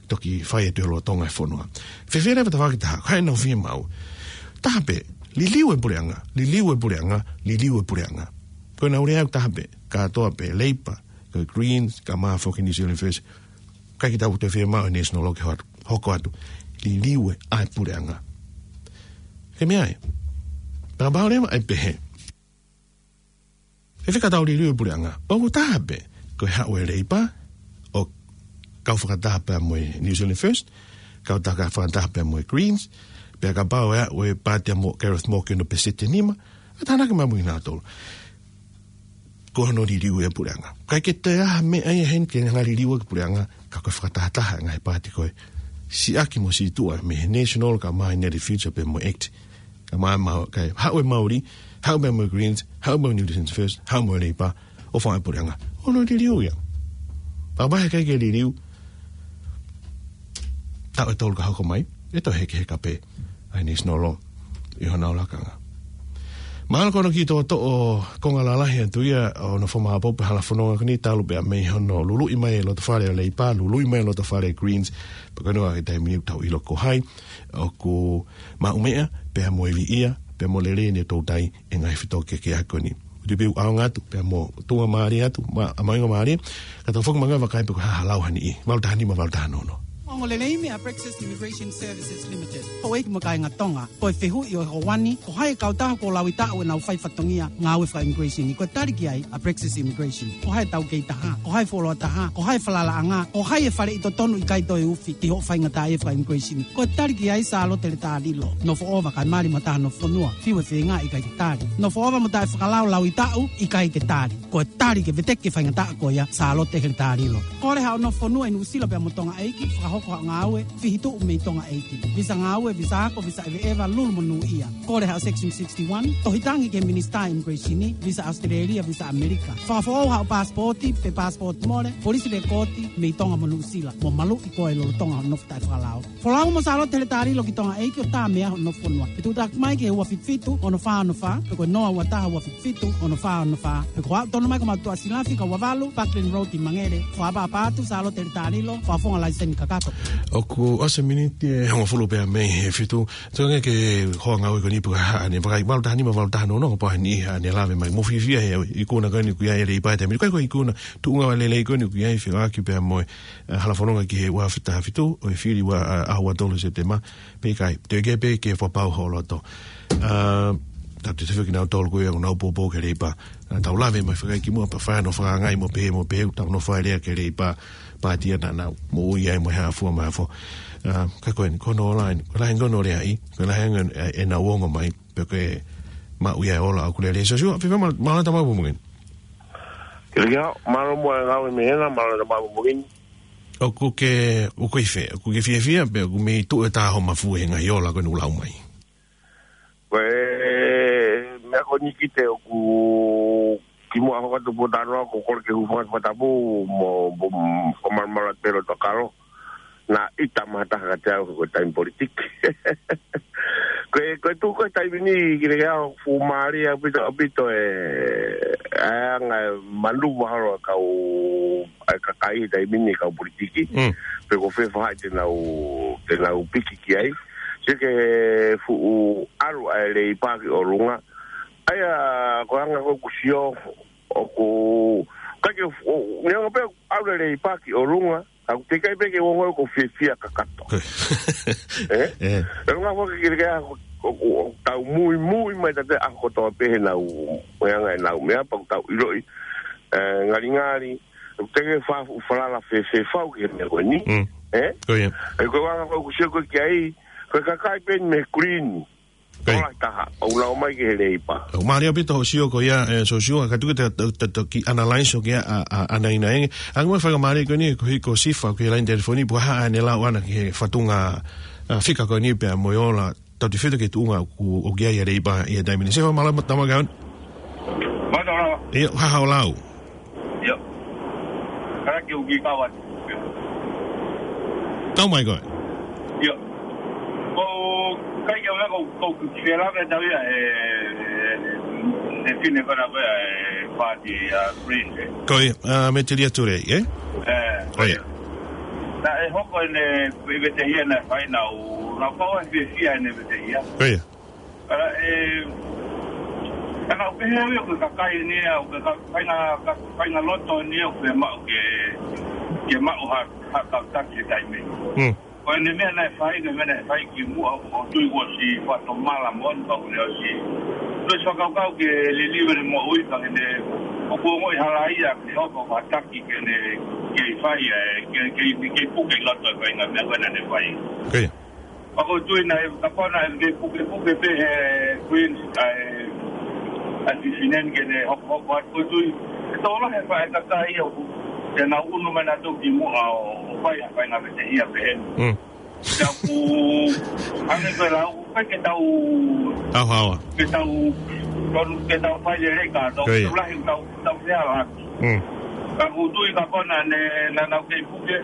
toki fai atu e lolotonga e fonua. Fēfē leva e tafaʻaki ʻe taha, ko hai ʻenau fiemaʻu? Taha pē, liliu e puleʻanga, liliu e puleʻanga, liliu e puleʻanga. Ko ʻenau lea ʻoku taha pē, kātoa pē, Leipa, ko e Greens, kae ʻumaʻā foki New Zealand First. ʻIkai ke tau toe fiemaʻu e National ke hoko atu, hoko atu. Liliu ʻa e puleʻanga. Ke meʻa ai. Pea kapau leva ʻe pehē, ʻe fika tau liliu e puleʻanga? ʻOku taha pē, ko e haʻu e Leipa ʻo kau fakataha pea mo e New Zealand First, kau taka fakataha pea mo e Greens, pea kapau ʻe aʻu e paati ʻa Mo-, Gareth Moore ki hono pēseti ʻe nima, ʻe tānaki mai mo kinautolu. Ko hono liliu e puleʻanga. ʻIkai ke toe ʻi ai ha meʻa ia heni ke hanga liliu e puleʻanga, ka ko e fakatahataha e ngaahi paati ko ē. Siʻaki mo situʻa mei he National kae ʻumaʻā e Nearly Future pea mo e ACT. Kae ʻumaʻā, kae haʻu e Māori, haʻu pea mo e Greens, haʻu mo e New Zealand First, haʻu mo e Leipa, ʻo fai e puleʻanga. Hono liliu ia. Pea kapau he ʻikai ke liliu, taʻu ʻe tolu ka hoko mai, ʻe toe hekeheka pē ʻa e National ʻi honau lakanga. Mahalo ko hono kiʻi toʻotoʻo konga lalahi atu ia ʻo hono fakamāʻopoʻopo e hala fononga ko eni, talu pea mei hono luluʻi mai e loto fale ʻa e Leipa, luluʻi mai e loto fale ʻa e Greens, pea ko eni ʻa e taimi ni ʻoku tau ʻilo ko hai ʻoku maʻu meʻa, pea mo e viʻia, pea mo e lelei ʻene toutai e ngaahi fetōkeakiʻaki ko eni. ʻOku ou tui pē ʻoku ʻaonga atu, pea mo tuʻunga mālie atu, ma-, mahuʻinga mālie, ka tau foki mai ki he vakai pe ko e hā ha lau ʻa e niʻihi. Valu taha nima, valu taha noa noa. Ongoongolelei mei a Praxis Immigration Services Limited. Houʻeiki mo e kāinga Tonga, ko e fehuʻi ʻo e houa ni, ko hai e kautaha kuo lauitaʻu ʻenau fai fatongia ngāue faka-immigration? Ko e tali ki ai ʻa Praxis Immigration. Ko hai e taukei taha, ko hai e fuoloa taha, ko hai e falalaʻanga, ko hai e faleʻi totonu ʻikai toe ufi ki hoʻo faingataʻaʻia faka-immigration. Ko e tali ki ai Sālote Letalilo. Nofoʻova kae mali mo e taha nofo fonua, fiu e feinga ʻikai ke tali. Nofoʻova mo taʻefakalao lauitaʻu ʻikai ke tali. Ko e tali ke veteki e faingataʻa ko ia, Sālote Letalilo. Kole haʻo nofo fonua ʻi Nuʻusila pea mo Tonga ʻeiki, fakahoko haʻo ngāue, fihituʻu mei Tonga ʻeiki. Visa ngāue, visa ako, visa ʻeveʻeva, lulu mo nūʻia. Kole haʻo Section sixty-one, tohi tangi ki he Minisitā Immigration, visa ʻAositelēlia, visa ʻAmelika. Fakafoʻou haʻo paasipooti, pe paasipooti mole, polisi lekooti, mei Tonga mo Nuʻusila. Mo maluʻi koe lolotonga hoʻo nofo taʻefakalao. Folau mo Sālote Letalilo ki Tonga ʻeiki ʻo tā meʻa hoʻo nofo fonua. Ke tuʻutaki mai ki he ua fitu fitu, ono fā ono fā, pe ko e noa ua taha ua fitu fitu, ono fā ono fā, pe ko e aʻu tonu mai ki homau tuʻa silafi, ka ua valu, Buckland Road ʻi Mangere. Fakaʻapaʻapa atu, Sālote Letalilo, fakafofonga laiseni kakato. ʻOku ʻosi e miniti ʻe hongofulu pea mei he fitu, tuku ange ke hoa ngāue ko eni pe ko e hā haʻane vakai, valu taha nima, valu taha noa noa, kapau ʻe ʻi ai haʻane lave mai. Mou fiefia he ikuna ko eni ʻoku ʻi ai e Leipa he taimi ni. ʻIkai ko e ikuna, tuʻunga lelei ko eni ʻoku ʻi ai, fekauʻaki pea mo e, ʻa, hala fononga ki he ua afe taha fitu, ʻo e fili ua, ʻa, ʻaho ua tolu Sepitema, pe ʻikai, toe kei pē ke fakapapau ho loto. ʻA, tau te tefio kinautolu ko ia ʻoku nau poupou ki he Leipa. ʻA, tau lave mai fakaʻi kimuʻa pea fai hano fakaangaʻi mo pehē, mo pehē, tau nofo ʻa e lea ki he Leipa, paati ia naʻa nau moʻui ai mo e hā fua mo e hā fua. ʻA, ka ko eni, ko hono lahi eni, ko e lahi eni ko hono leaʻi, ko e lahi eni ʻenau ongo mai, pea ko e maʻu ia e ola ʻoku lelei. Sosua, fiefia ma-, mālō e tama ʻapongipongi ni. Kia, mālō muʻa e ngāue mei hena, mālō e tama ʻapongipongi ni. ʻOku ke, ʻoku ke ʻi fē, ʻoku ke fiefia, pe ʻoku mei tuʻu e taha ho mafu he ngaahi ola ko eni ʻoku lau mai? Ko e meʻa ko eni ki te ʻoku kimuʻa hoko atu pōtalanoa ko e kole ke u hūfanga he fakatapu mo, mo, mo, ko Malamala Telo Tokalo. Naʻe ʻita mai ha taha kiate au ko e taimi politiki. Ko e, ko e tuʻu ko e taimi ni ki le au fuʻu mālie ʻaupito, ʻaupito e, ʻa e anga e manuva holo ʻa e kau, ʻa e kakai taimi ni kau politiki. Mm. Pe ko fē faʻahi te nau, te nau piki ki ai. Sio ki he fuʻu ʻalu ʻa e Leipa ki ʻolunga. ʻA ia, ko e anga ko ē ʻoku sio, ʻoku, ʻikai ke, ʻo, neongo pē ʻalu e Leipa ki ʻolunga, ka ʻoku teʻeki ai pē ke u ongoʻi ʻoku ou fiefia kakato. ʻE? ʻE. E ngā foki ki le kea, ʻo, ʻo, ʻo tau muimui mai ʻa e ʻaho kotoa pē he nau, mo e anga e nau meʻa pea ʻoku tau ʻiloʻi, ʻe, ngalingali, ʻoku teʻeki ai ke fa-, falala fefefau ki he meʻa ko eni. Mm. ʻE? Ko ia. ʻE, ko e anga ko ē ʻoku sio ko ē ki ai, ko e kakai pē eni mei Green. Ko ia. Tola taha, ʻoku nau ō mai ki he Leipa. ʻOku mālie ʻaupito hoʻo sio ko ia, ʻe, Sosiua, ka tuku te, te, te, te ki analyze ʻo ki a, a, a, ʻanaina ʻeni. Anga mai fakamālie ko eni, ko hiko Sifa, ki he laine telefoni, pea hā ʻene lau ʻana ki he fatunga, ʻa, fika ko eni pea mo e ola, tau te fito ke tuʻunga ʻoku, ʻoku ʻi ai ʻa e Leipa ʻi he taimi ni. Sifa, mālō, tama kaun. Mālō, mālō. ʻIo, hā haʻo lau. ʻIo. Kala ke u ki kawa. Tau mai koe. ʻIo. Ko kai ke u ko, ko ki fela ke tau ia e, e, e fine kona ko ia e pāti ʻa Green, ʻe. Ko ia, ʻa, Metilia Turei, ʻe? ʻE, ko ia. Naʻe hoko ʻene vetehia naʻe fai naʻa ku, naʻa ku kau ai fiefia ʻene vetehia. Ko ia. Ka, ʻe, ka naʻa ku pehē au ia ko e kakai ni ia, ʻoku ke ka-, faʻahinga, ka-, faʻahinga loto ni ia, ʻoku ke maʻu ke, ke maʻu ha, ha kau taki he taimi. Mm. Ko ʻene meʻa naʻe fai, ko e meʻa naʻe fai kimuʻa, ʻoku ou tui kuo ʻosi fakatomala mo ʻene kau ne ʻosi. Kuo ʻosi fakakaukau ke liliu ʻene moʻui ka ke ne, ʻoku ongoʻi hala ia, ke hoko ha taki ke ne, ke fai, ʻe, ke, ke, ke puke ʻi loto e faʻahinga meʻa ko ē naʻa ne fai. Ko ia. ʻOku ou tui naʻe, kapau naʻe ke pukepuke pē he Queens, ʻa e, ʻa e fefine ni ke ne hokohoko atu ʻoku ou tui. ʻE tō lahi e faʻahinga kakai ia ʻoku, te nau ʻunu mai nautolu kimuʻa ʻo, ʻo fai ha faʻahinga vetehia pehē ni. Mm. Ka ʻoku, hangē ko e lau, ʻikai ke tau, Tau haoa. ke tau, tonu, ke tau fai lelei ka, tau, Ko ia. tau lahi, tau, tau fea la. Mm. Ka ʻoku ou tui ka kona ne, naʻa nau kei puke.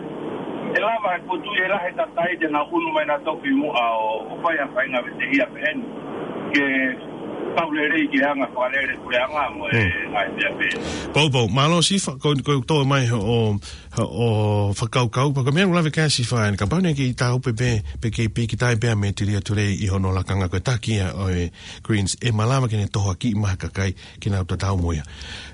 ʻE lava, ʻoku ou tui ʻe lahi e kakai te nau ʻunu mai nautolu kimuʻa ʻo, ʻo fai ha faʻahinga vetehia pehē ni. Ke kau lelei ke anga fakalele puleʻanga mo e Mm. ngaahi meʻa pehē ni. Poupou, mālō Sifa, ko, ko e tō mai hoʻo, hoʻo fakakaukau, pea ko e meʻa ʻoku lave ki ai Sifa ʻeni, kapau naʻe kei tau pē pē, pe kei pīkitai pē ʻa Metilia Turei ʻi hono lakanga ko e taki ia ʻo e Greens, ʻe malava ke ne tohoakiʻi mai ha kakai, ke nau tatau mo ia.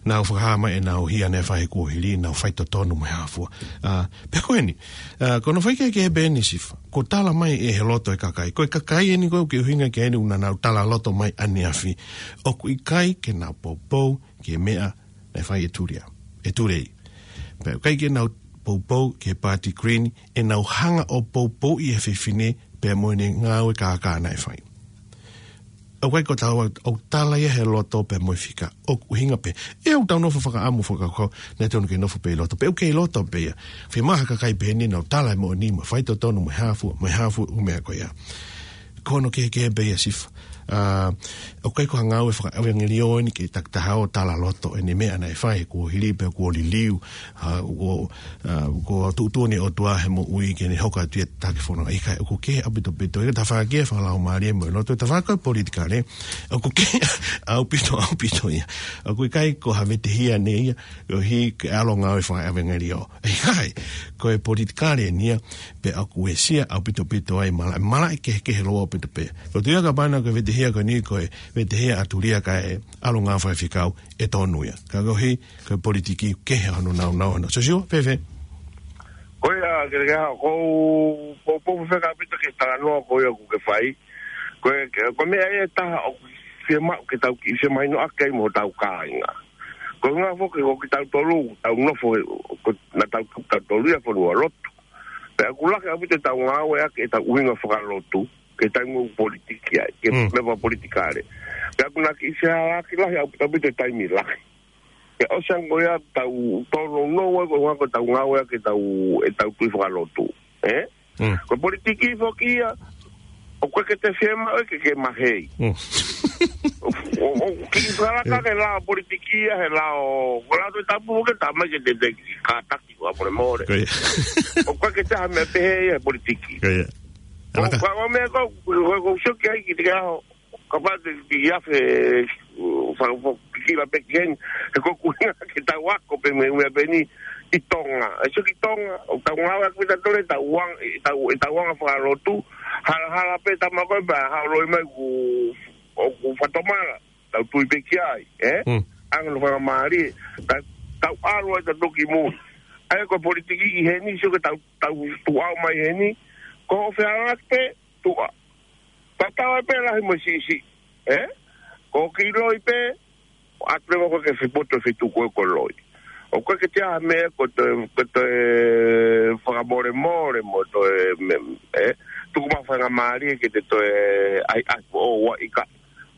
Nau fakahā mai ʻenau hia naʻe fai he kuohili, nau faitotonu mo e hā fua. ʻA, pea ko eni, ʻa, ko hono faikehekehe pē ʻeni Sifa, kuo tala mai ʻe he loto e kakai. Ko e kakai ʻeni ko ē ʻoku ke ʻuhinga ki ai ʻeni ʻoku nau tala loto mai ʻaneafi. ʻOku ʻikai ke nau poupou ki he meʻa naʻe fai ʻe Tulia, ʻe Turei. Pea ʻikai ke nau poupou ki he pāti Green, ʻenau hanga ʻo poupouʻi e fefine pea mo ʻene ngāue kākā naʻe fai. ʻOku ʻikai ko e tala, ʻoku tala ia he loto pea mo e fika. ʻOku ʻuhinga pē. ʻE ʻoku tau nofo fakaʻamu fakakaukau, naʻe tonu ke nofo pē ʻi loto. Pea ʻoku kei loto pē ia. Fiemaʻu ha kakai pehē ni nau tala e moʻoni mo e faitotonu mo e hā fua, mo e hā fua ʻū meʻa ko ia. Ko hono kehekehe pē ia Sifa. ʻA, ʻoku ʻikai ko ha ngāue fakaʻevangeliō ʻeni ke takitaha ʻo tala loto ʻene meʻa naʻe fai he kuohili pea kuo liliu, ʻa, kuo, ʻa, kuo tuʻutuʻuni ʻe he ʻOtua he moʻui ke ne hoko atu ia taki fono. ʻIkai, ʻoku kehe ʻaupito ʻaupito. ʻIkai tafaʻaki e fakalaumālie mo e loto, tafaʻaki e politikale. ʻOku kehe ʻaupito ʻaupito ia. ʻOku ʻikai ko ha vetehia ʻeni ia, ʻoku ʻikai ke ʻalu ʻo ngāue fakaʻevangeliō. ʻIkai, ko e politikale ʻeni ia, pea ʻoku uesia ʻaupito ʻaupito ai mala, malaʻe kehekehe loa ʻaupito pē. Ko e tuʻu ia ka pana ko e vetehia ko eni, ko e vetehia ʻa Tulia kae ʻalu ʻo ngāue fakafaifekau ʻe tonu ia. Ka koeʻuhi, ko e politiki kehe hono nāunau ʻana. Sosiua, fēfē? Ko ia, ke, ke, ʻoku ou, ʻoku ou poupou fefeka ʻaupito ki he talanoa ko ia ʻoku ke fai. Ko e, ko e meʻa ia ʻe taha ʻoku fiemaʻu ke tau kiʻi femahinoʻaki ai mo hotau kāinga. Ko e ʻuhinga foki ko kitautolu, tau nofo, ko, naʻa tau, tautolu ia fonua lotu. Pea ʻoku lahi ʻaupito ʻetau ngāueʻaki ʻetau ʻuhinga fakalotu, ke tau ngāue politiki ai, ke Mm. meʻa fakapolitikale. Pea ʻoku na kiʻi fehālaaki lahi ʻaupito ʻaupito he taimi lahi. Pea ʻosi ange ko ia tau tōnounou ai ko e ʻuhinga ko ʻetau ngāueʻaki ʻetau, ʻetau tui fakalotu. Ē? Mm. Ko e politiki foki ia, ʻoku ʻikai ke te fiemaʻu ke ke mahei. Mm. ʻO, ʻo, ʻo, kiʻi fakalaka Ē. ke lao politiki ia, he lao, ko e lao Tohi Tapu ke tā mai ke te, te kātaki fakamolemole. Ko ia. ʻOku ʻikai ke te ha meʻa pehē ia he politiki. Ko ia. Ko, Alaka. ko, ko e meʻa ko, ko, ko, ko, sio ki ai ki te ke aho, kapau te, te ia fe, uh, fa, fa, kila pe ki heni, he ko e ʻuhinga ke tau ako pē mei he meʻa pehē ni ʻi Tonga. ʻE sio ki Tonga, ʻoku tau ngāueʻaki pē ʻetau tui, ʻetau anga, ʻetau, ʻetau anga fakalotu, hala, hala pē tama ko ē pea haʻu loi mai ʻoku, ʻoku fakatomala, tau tui pē ki ai, ē? Mm. Anga hono faingamālie, ta, tau ʻalu ai ʻo toki mui. ʻA ia ko e politiki ʻi heni, sio ke tau, tau tuʻu mai heni, ko e fealālāki pē, tuʻa. Tatau ai pē lahi mo siʻisiʻi, ē? Ko e kiʻi loi pē, ʻoatu leva koe ke fepoto fetuku e ko e loi. ʻOku ʻikai ke te ʻai ha meʻa ko e toe, ko e toe fakamolemole mo toe meʻa, ē? Tuku mai ha faingamālie ke te toe ʻai, ʻai, ʻo, ua ika.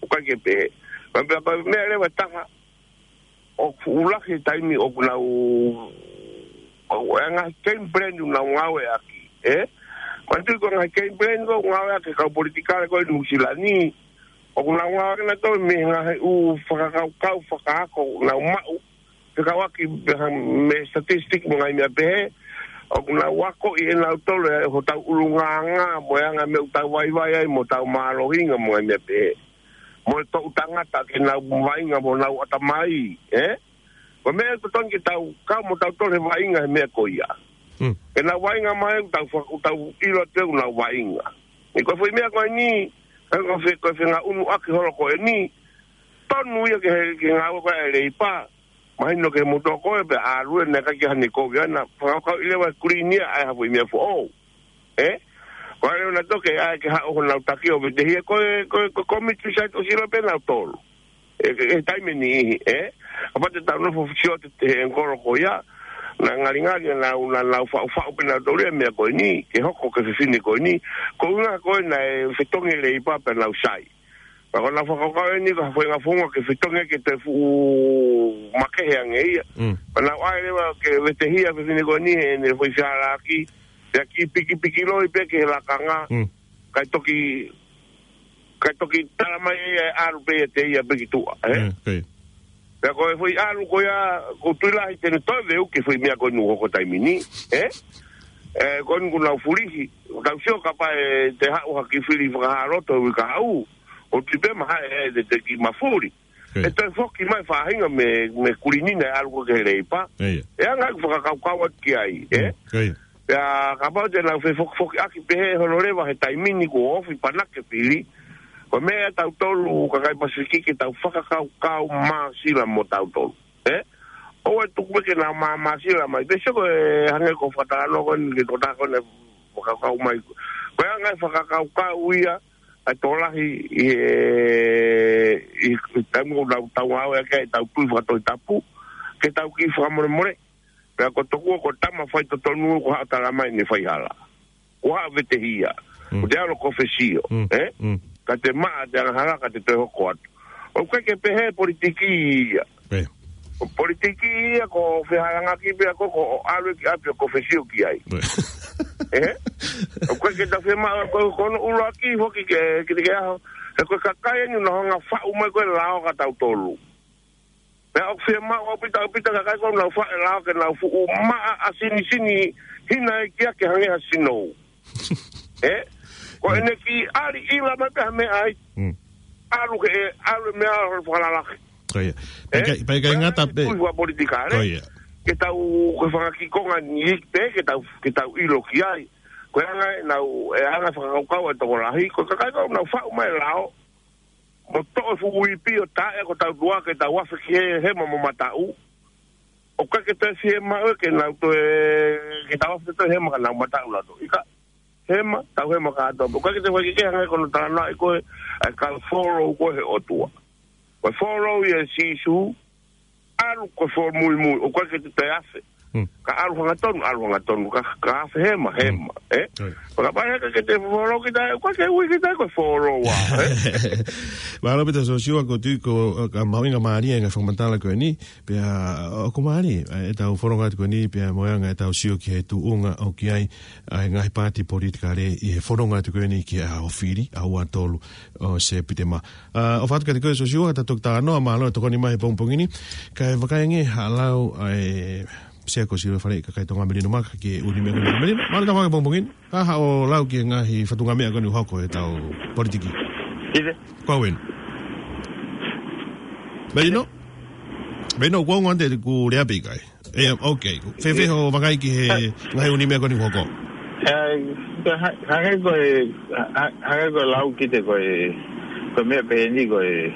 ʻOku ʻikai ke pehē. Pea, pea, pea, meʻa leva ʻe taha, ʻoku lahi e taimi ʻoku nau, ʻoku ʻi ai e ngaahi game plan ʻoku nau ngāueʻaki, ē? Manatuʻi ko e ngaahi game plan ko ē ʻoku ngāueʻaki ʻe he kau politikale ko ē ʻi Nuʻusila ni, ʻoku nau ngāueʻaki ʻenautolu mei he ngaahi ʻū fakakaukau fakaako ʻoku nau maʻu, fekauʻaki pē ha, mei he statistic mo e ngaahi meʻa pehē, ʻoku nau akoʻi ʻenautolu ʻe hotau ʻulungaanga, mo e anga e meʻa ʻoku tau vaivai ai, mo hotau mālohinga, mo e ngaahi meʻa pehē. Mo e toʻu tangata ke nau vaʻinga mo honau ʻatamai, ē? Ko e meʻa totonu ke tau kau mo tautolu he vaʻinga he meʻa ko ia. Mm. Ke nau vaʻinga mai, tau fa-, tau ʻilo atu ʻoku nau vaʻinga. ʻI he ko e foʻi meʻa ko eni, ko e fe-, ko e fengaʻunuʻaki holo ko eni, tonu ia ke he, ke ngāue ko ē ʻa e Leipa, mahino ke mutu ko ē pea ʻalu ē naʻe ʻikai ke ʻi ai haʻane kovi ʻana, fakakaukauʻi leva ʻe Kulini ia ʻai ha foʻi meʻa foʻou. Ē? Ko e ʻalu ʻenautolu ke ʻai ke haʻu honau taki ʻo vetehia ko e, ko e, ko e kōmiti site ʻosi ʻilo pē ʻenautolu. ʻE, ʻe, ʻe taimi ʻe niʻihi, ē? Kapau te tau nofo sio atu he ʻengikolo ko ia, naʻe ngalingali naʻa nau, naʻa nau faʻufaʻu pē ʻenautolu ia e meʻa ko eni, ke hoko ki he fefine ko eni, ko e ʻuhinga ko ē naʻe fetongi e Leipa pea nau sai. Pea ko ʻenau fakakaukau eni ko ha foʻi ngaahi founga ke fetongi ke toe fuʻu makehe ange ia. Mm. Pea nau ʻai leva ke vetehia e fefine ko eni heʻene foʻi fealālāki, pea kiʻi pikipiki loi pē ki he lakanga, Mm. kae toki, kae toki tala mai ʻe ia ʻe ʻalu pē ʻiate ia pē ki tuʻa, ē? Mm, ko ia. Pea ko e foʻi ʻalu ko ia, ʻoku ou tui lahi te ne toe veuki e foʻi meʻa ko eni ʻoku hoko he taimi ni, ē? Ē, ko eni kuo nau fulihi, tau sio kapau ʻe toe haʻu ha kiʻi fili fakahā loto he uike kahaʻu, ʻoku ou tui pē mahalo ʻe te, te kiʻi mafuli. Ko ia. ʻE toe foki mai e faʻahinga mei, mei Kulini naʻe ʻalu ko ē ki he Leipa. Ko ia. ʻE anga ʻeku fakakaukau atu ki ai, ē? Mm, ko ia. Pea kapau te nau fefokifokiʻaki pehē holo leva he taimi ni kuo ofi panake fili. Ko e meʻa ia ʻatautolu kakai Pasifiki ke tau fakakaukau māsila mo tautolu. Ē? ʻOua ʻe tuku pē ke nau mā-, māsila mai. Pea sio ko e hangē ko e fakatalanoa ko eni ki he tokotaha ko eni naʻe fakakaukau mai. Ko e anga e fakakaukau ia ʻa e tokolahi ʻi he, ʻi he taimi ʻoku nau tau ngāueʻaki ai ʻetau tui fakatohi tapu, ke tau kiʻi fakamolemole. Pea ko e tokua ko e tama faitotonu kuo haʻu ʻo tala mai ʻene faihala. Kuo haʻu ʻo vetehia. Mm. Kuo te ʻalu ʻo kōfesio, Mm. ē? Mm. Ka te maʻa ʻete angahala ka te toe hoko atu. ʻOku ʻikai ke pehē e politiki ia. Ē. Ko e politiki ia ko e fehālaaki pē ia ko e ʻalu ki ʻapi ʻo kōfesio ki ai. Ē. Ē? ʻOku ʻikai ke tau fiemaʻu ko, ko hono ʻuluaki foki ke, ke, ke aho. He ko e kakai eni naʻa nau hanga ʻo faʻu mai ko ē e lao kia tautolu. Pea ʻoku fiemaʻu ʻaupito, ʻaupito e kakai ko ē naʻa nau faʻu e lao ke nau fuʻu maʻa ʻasinisini hina ʻe ia ke hangē ha sinou. Ē? Ko Mm. ʻene kiʻi ʻali ʻila mai pē ha meʻa ai. Mm. ʻAlu ke, ʻalu e meʻa ʻo fakalalahi. Ko ia. Pea ʻIkai, pea ʻikai ngata pē. Tui fakapolitikale. Ko ia. Ke tau, ko e fanga kiʻi konga ni pē, ke tau, ke tau ʻilo ki ai. Ko e anga ʻenau, e anga e fakakaukau ʻa e tokolahi, ko e kakai ko ē naʻa nau faʻu mai e lao. Mo toʻo e fuʻu ipi ʻo taʻe ko ē ʻetau tuʻa ke tau afe ki he hema mo mataʻu. ʻOku ʻikai ke toe fiemaʻu ke nau toe, ke tau afe toe hema ka nau mataʻu ʻaupito. ʻIkai, hema, tau hema kātoa. ʻOku ʻikai ke toe fai ke hangē ko hono talanoaʻi ko ē ʻa e kau follow ko ē he ʻOtua. Ko e follow ia ʻa Sīsū, ʻalu ko e follow muimui, ʻoku ʻikai ke te toe afe. Ka ʻalu hangatonu, ʻalu hangatonu, ka, ka afe hema, hema, ē? Pea kapau he ʻikai ke te follow kita, ʻoku ʻikai ke ui kita ko e follower, ē? Mālō ʻaupito Sosiua, ko e tui ko, ka mahuʻinga mālie e ngaahi fakamatala ko eni, pea ʻoku mālie ʻetau fononga atu ko eni, pea mo e anga ʻetau sio ki he tuʻunga ʻoku ʻi ai ʻa e ngaahi paati politikale ʻi he fononga atu ko eni ki he ʻaho fili, ʻaho ua tolu ʻo Sepitema. ʻA, ʻofa atu kiate koe Sosiua, ka tau toki talanoa, mālō e tokoni mai he pongipongi ni. Kae vakai ange haʻo lau ʻa e Sea ko Silo Fale, kakai Tonga Melino Maka, ki he ʻū meʻa ko eni. Melino, mālō e tau mai he pongipongi ni. Ka haʻo lau ki he ngaahi fatungameʻa ko eni ʻoku hoko ʻi heʻetau politiki. Ide. Ko au eni. Melino? Melino, kuo ongo ʻanai ʻeku lea pe ʻikai? ʻE, ok. Fēfē hoʻo vakai ki he ngaahi ʻū meʻa ko eni ʻoku hoko? ʻE, ka ha-, hangē ko e, ha-, ha-, hangē ko e lau kiate koe, ko e meʻa pehē ni ko e,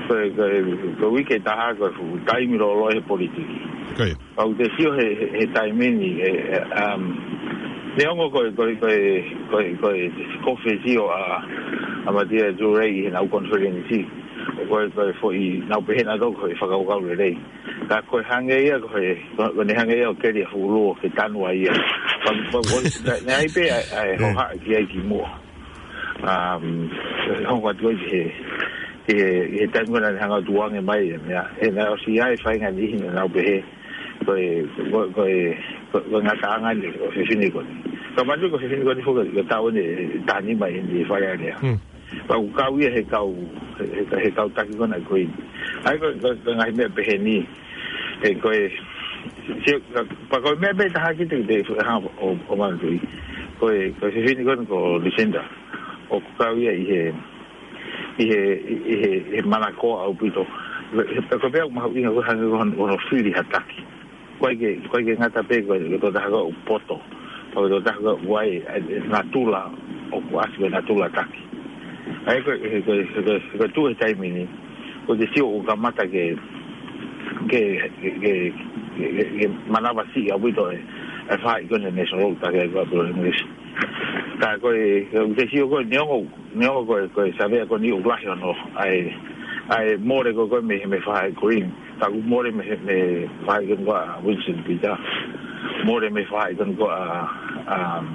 ko e, ko e, ko e uike ʻe taha ko e fuʻu taimi lōloa he politiki. Ko ia. Pea ʻoku te sio he, he, he taimi ni, ʻe, ʻe, um, neongo ko e, ko e, ko e, ko e, ko e kofe sio ʻa, ʻa Matia Tuʻi ʻi heʻenau konifelenisi. Ko e, ko e foʻi, nau pehē nautolu ko e fakakaukau lelei. Ka ko e hangē ia, ko e, ko, ko ʻene hangē ia ʻo keli ʻa Fuʻuluo ke tanu ai ia. Pea, pea, ko, naʻe, naʻe ʻi ai pē ʻa e, ʻa e hohaʻa ki ai kimuʻa. Um, hoko atu ai ki he, ki he, ki he taimi ko ē naʻe hanga ʻo tukuange mai e meʻa. He naʻe ʻosi ʻi ai e faʻahinga niʻihi naʻa nau pehē ko e, ko, ko e, ko, ko e ngataʻanga eni ʻo e fefine ko eni. Ka manatuʻi ko e fefine ko eni foki ko e taʻu eni ʻe taha nima ʻi Fale Alea. Pea ʻoku kau ia he kau, he, he, he kau taki ko ena ko ē. ʻA ia ko, ko, ko e ngaahi meʻa pehē ni, ʻe ko e, sio, ka, pea ko e meʻa pē ʻe taha kiate, te, ha, ʻo, ʻo manatuʻi. Ko e, ko e fefine ko ena ko Lucinda. ʻOku kau ia ʻi he, ʻi he, ʻi he, ʻi he manakoa ʻaupito. He, he, ko e meʻa ʻoku mahuʻinga ko e hangē ko hono, hono fili ha taki. ʻIkai ke, ʻikai ke ngata pē ko e, ko e tokotaha ko ē ʻoku poto. Ko e tokotaha ko ē ʻoku ʻi ai, ʻe, ʻe natula, ʻoku ʻasi ko e natula taki. ʻA ia ko e, ko e, ko e, ko e tuʻu he taimi ni, ʻoku te sio ʻoku kamata ke, ke, ke, ke, ke, ke manavasiʻi ʻaupito e, e faʻahi ko ena ʻa e National ʻoku taki ai ko ē ʻa Bill English. Ka ko e, ʻoku te sio ko e neongo, neongo ko e, ko e savea ko eni ʻoku lahi hono, ʻa e, ʻa e mole ko ē ko ē mei, mei he faʻahi Green. Ka ʻoku mole mei he, mei he faʻahi ko eni ko ē ʻa Winston Peters. Mole mei he faʻahi ko eni ko ē ʻa, um,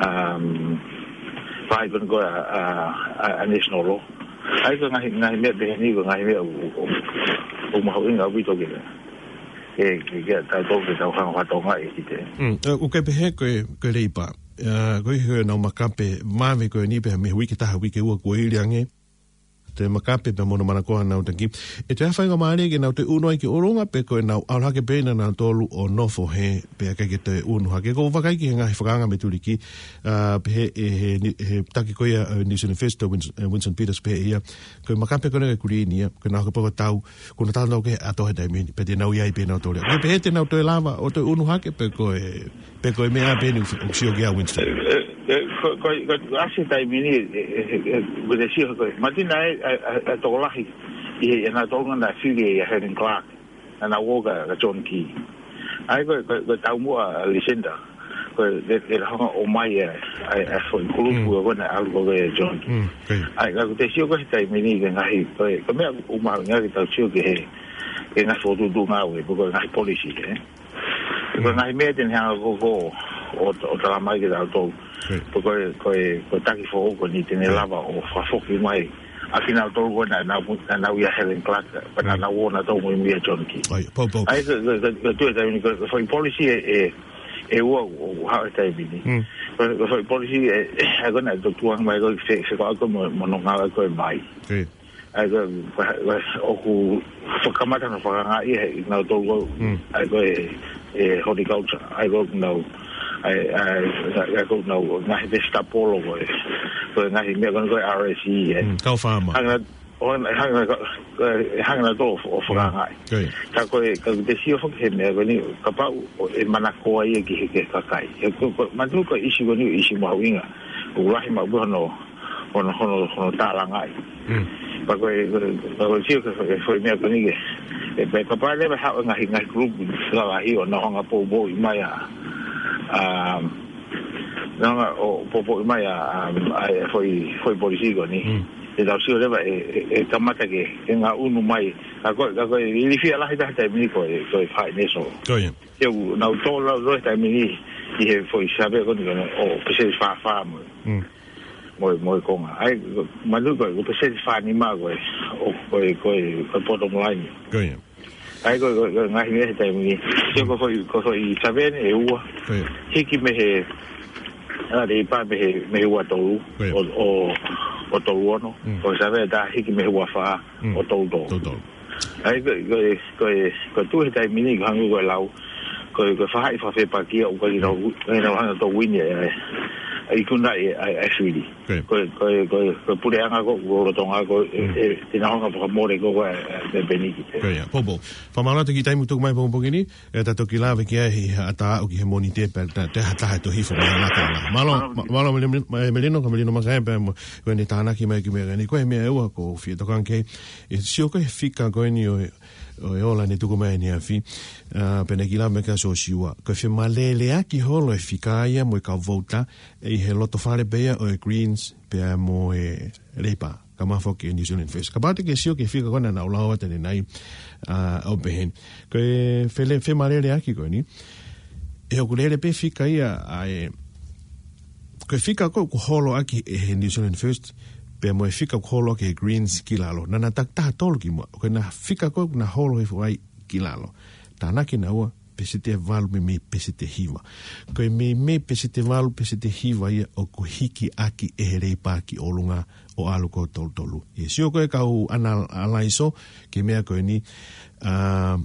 um, faʻahi ko eni ko ē ʻa, ʻa, ʻa, ʻa National. ʻA ia ko e ngaahi, ngaahi meʻa pehē ni, ko e ngaahi meʻa ʻoku, ʻoku, ʻoku mahuʻinga ʻaupito ke, ke, ke, ke tautolu ke tau hanga ʻo fakatokangaʻi ʻe kitautolu. Mm, ʻe, ʻoku ke pehē ko e, ko e Leipa. ʻA, ko e hē ʻenau makape, vave ko eni pē mei he uike ʻe taha, uike ʻe ua kuo hili ange. Toe makape pē mo hono manakoa ʻenau taki. ʻE toe ʻi ai ha faingamālie ke nau toe ʻunu ai ki ʻolunga pe ko ʻenau ʻalu hake pē ʻe nautolu ʻo nofo hē pea ʻikai ke toe ʻunu hake. ʻOku ou vakai ki he ngaahi fakaanga mei Tuliki, ʻa, pehē ʻe he, he, he taki ko ia, ʻa, New Zealand First, ʻa Wins-, ʻa Winston Peters pehē ʻe ia. Ko e makape ko ena ʻa e Green ia, ko ʻenau hake pē ko e tau, ko ʻenau talanoa ki he ʻato he taimi ni, pea te nau ʻi ai pē nautolu ia. Ko e pehē te nau toe lava ʻo toe ʻunu hake pe ko e, pe ko e meʻa pē eni ʻoku sio ki ai ʻa Winston. ʻE, ʻe, ko, ko, ko, ʻasi he taimi ni, ʻe, ʻe, ʻe, ʻe, ko e sio ko e, manatuʻi naʻe, ʻa, ʻa, ʻa e tokolahi, ʻi he, ʻe nautolu naʻe fili ʻa Helen Clark, naʻa nau ō kia, kia John Key. ʻA ia ko, ko, ko e taumuʻa ʻa Lucinda, ko e, ʻe, ʻe lava hanga ʻo ʻomai ʻa, ʻa, ʻa e foʻi kulupu ko ena ʻalu ko ē kia John Key. Mm, ko ia. ʻA ia, ka ʻoku te sio ko e he taimi ni ki he ngaahi, ko e, ko e meʻa ʻoku mahuʻinga ke tau sio ki he, ki he ngaahi fokotuʻutuʻu ngāue, pe ko e ngaahi policy, ē. Ko e ngaahi meʻa te ne hanga ko ē ʻo, ʻo, ʻo talamai kiate kitautolu. Ko e, ko e, ko e taki foʻou ko eni te ne lava ʻo fakafoki mai ʻa kinautolu ko ē naʻa nau, naʻa nau ʻia Helen Clark, pea naʻa nau ō nautolu mo ia John Key. ʻA ia, pau, pau. ʻA ia, ko, ko, ko, ko e tuʻu he taimi ni, ko, ko e foʻi policy ʻe, ʻe, ʻe ua ʻoku haʻu he taimi ni. Ko, ko e foʻi policy ʻe, ʻe, ʻa ia ko ē naʻe tukuange mai ko e fe, fekauʻaki mo, mo hono ngāue ko ē mai. ʻA ia ko, ko, ko, ʻoku fakamatala fakaangaʻi ʻe nautolu ko, ʻa ia ko e, e horticulture, ʻa ia ko ʻenau, ʻa ia, ʻa ia, ʻa ia ko ʻenau ngaahi vegetable ko e, ko e ngaahi meʻa ko ē ko e R S E, ē. Mm, kau fāma. Hanga, ʻo, hanga, ko, ko, hanga nautolu ʻo fakaangaʻi. Ka ko e, ka te sio foki he meʻa ko eni, kapau ʻe manakoa ia ki he, ki he kakai. He ko, ko, manatuʻi ko e ʻīsiu ko eni, ʻīsiu mahuʻinga. ʻOku lahi maʻu pē hono, hono, hono, hono tālangaʻi. Pea ko e, ko e, ko e sio ki he, ki he foʻi meʻa ko eni ke. ʻE, pea kapau leva ʻe haʻu e ngaahi, ngaahi kulupu lalahi ʻo nau hanga ʻo poupouʻi mai ʻa, ʻa, Nanga o popo mai a, a, a, e foʻi, foʻi polisi ko eni. Mm. E tau sio leva e, e, e kamata ke, ke ngaʻunu mai. Ka ko, ka ko e ilifia lahi taha taimi ni ko e, ko e finance. Ko ia. Ke u, nau tō lau loa taimi ni, ʻi he foʻi save ko eni ko eni, o peseti fā fā mo. Mm. Mo, mo e konga. ʻAi, manu ko, ko peseti fā nima ko e, o, ko e, ko e, ko e bottom line. Ko ia. ʻAi, ko, ko, ko e ngaahi meʻa he taimi ni. Sio ko e foʻi, ko e foʻi save ʻe ua. Ko ia. Hiki mei he, a, Leipa mei he, mei he ua tolu. Ko ia. O, o, o tolu ono. Mm. Ko e save ʻe taha hiki mei he ua fā. Mm. O tolu tolu. Tolu tolu. ʻAi, ko, ko, ko, ko e tuʻu he taimi ni, ko e hangē ko e lau. Ko, ko e faʻahi fakafepakia, ʻoku ʻikai ke nau, ʻikai ke nau hanga ʻo wini, ʻe, ʻe, ʻe ikuna ʻe, ʻe, ʻe fili. Ko ia. Ko, ko, ko, ko e puleʻanga ko, ko lolotonga ko, e, Mm. e, te nau hanga ʻo fakamole ko, ko, e, e, e peniki. Ko ia, popo. Fakamālō atu ki he taimi ʻoku tuku mai pongipongi ni, ʻe ta toki lave ki ai he ʻatā ʻo ki he Mōnite pea ta, te hata he tohi fo mai la tala. Mālō, Mālō. mā-, mālō Mele-, Mele-, Melino, ka Melino Makae pea mo, ko eni tānaki mai ki meʻa ni. Ko e meʻa ʻe ua ʻoku ou fie tokanga ki ai, ʻe sio ko e fika ko eni ʻo e, ʻo e ola ne tuku mai ʻaneafi, a, pea ne kiʻi lave mai kia Siosiua. Ko e femaleleaki holo e fika ia mo e kau vouti, ʻi he lotofale pē ia ʻo e Greens pea mo e Leipa. Ka mafoki e New Zealand First. Kapau te ke sio ki he fika ko ena naʻa ku lau atu ʻanenai, a, ʻo pehē ni. Ko e fele-, femaleleaki ko eni. ʻE ʻoku lele pē fika ia ʻa e, ko e fika ko ē ʻoku holo ʻaki ʻe he New Zealand First, pea mo e fika ʻoku holo ʻaki ʻe he Greens ki lalo. Naʻa na takitaha tolu ki muʻa. Ko ena fika ko ē ʻoku na holo hifo ai ki lalo. Tānaki naua, peseti ʻe valu meimei peseti ʻe hiva. Ko e meimei peseti ʻe valu peseti ʻe hiva ia ʻoku hiki ʻaki ʻe he Leipa ki ʻolunga ʻo ʻalu ko e tolu tolu. ʻE sio ko e kau analaiso ki he meʻa ko eni, a,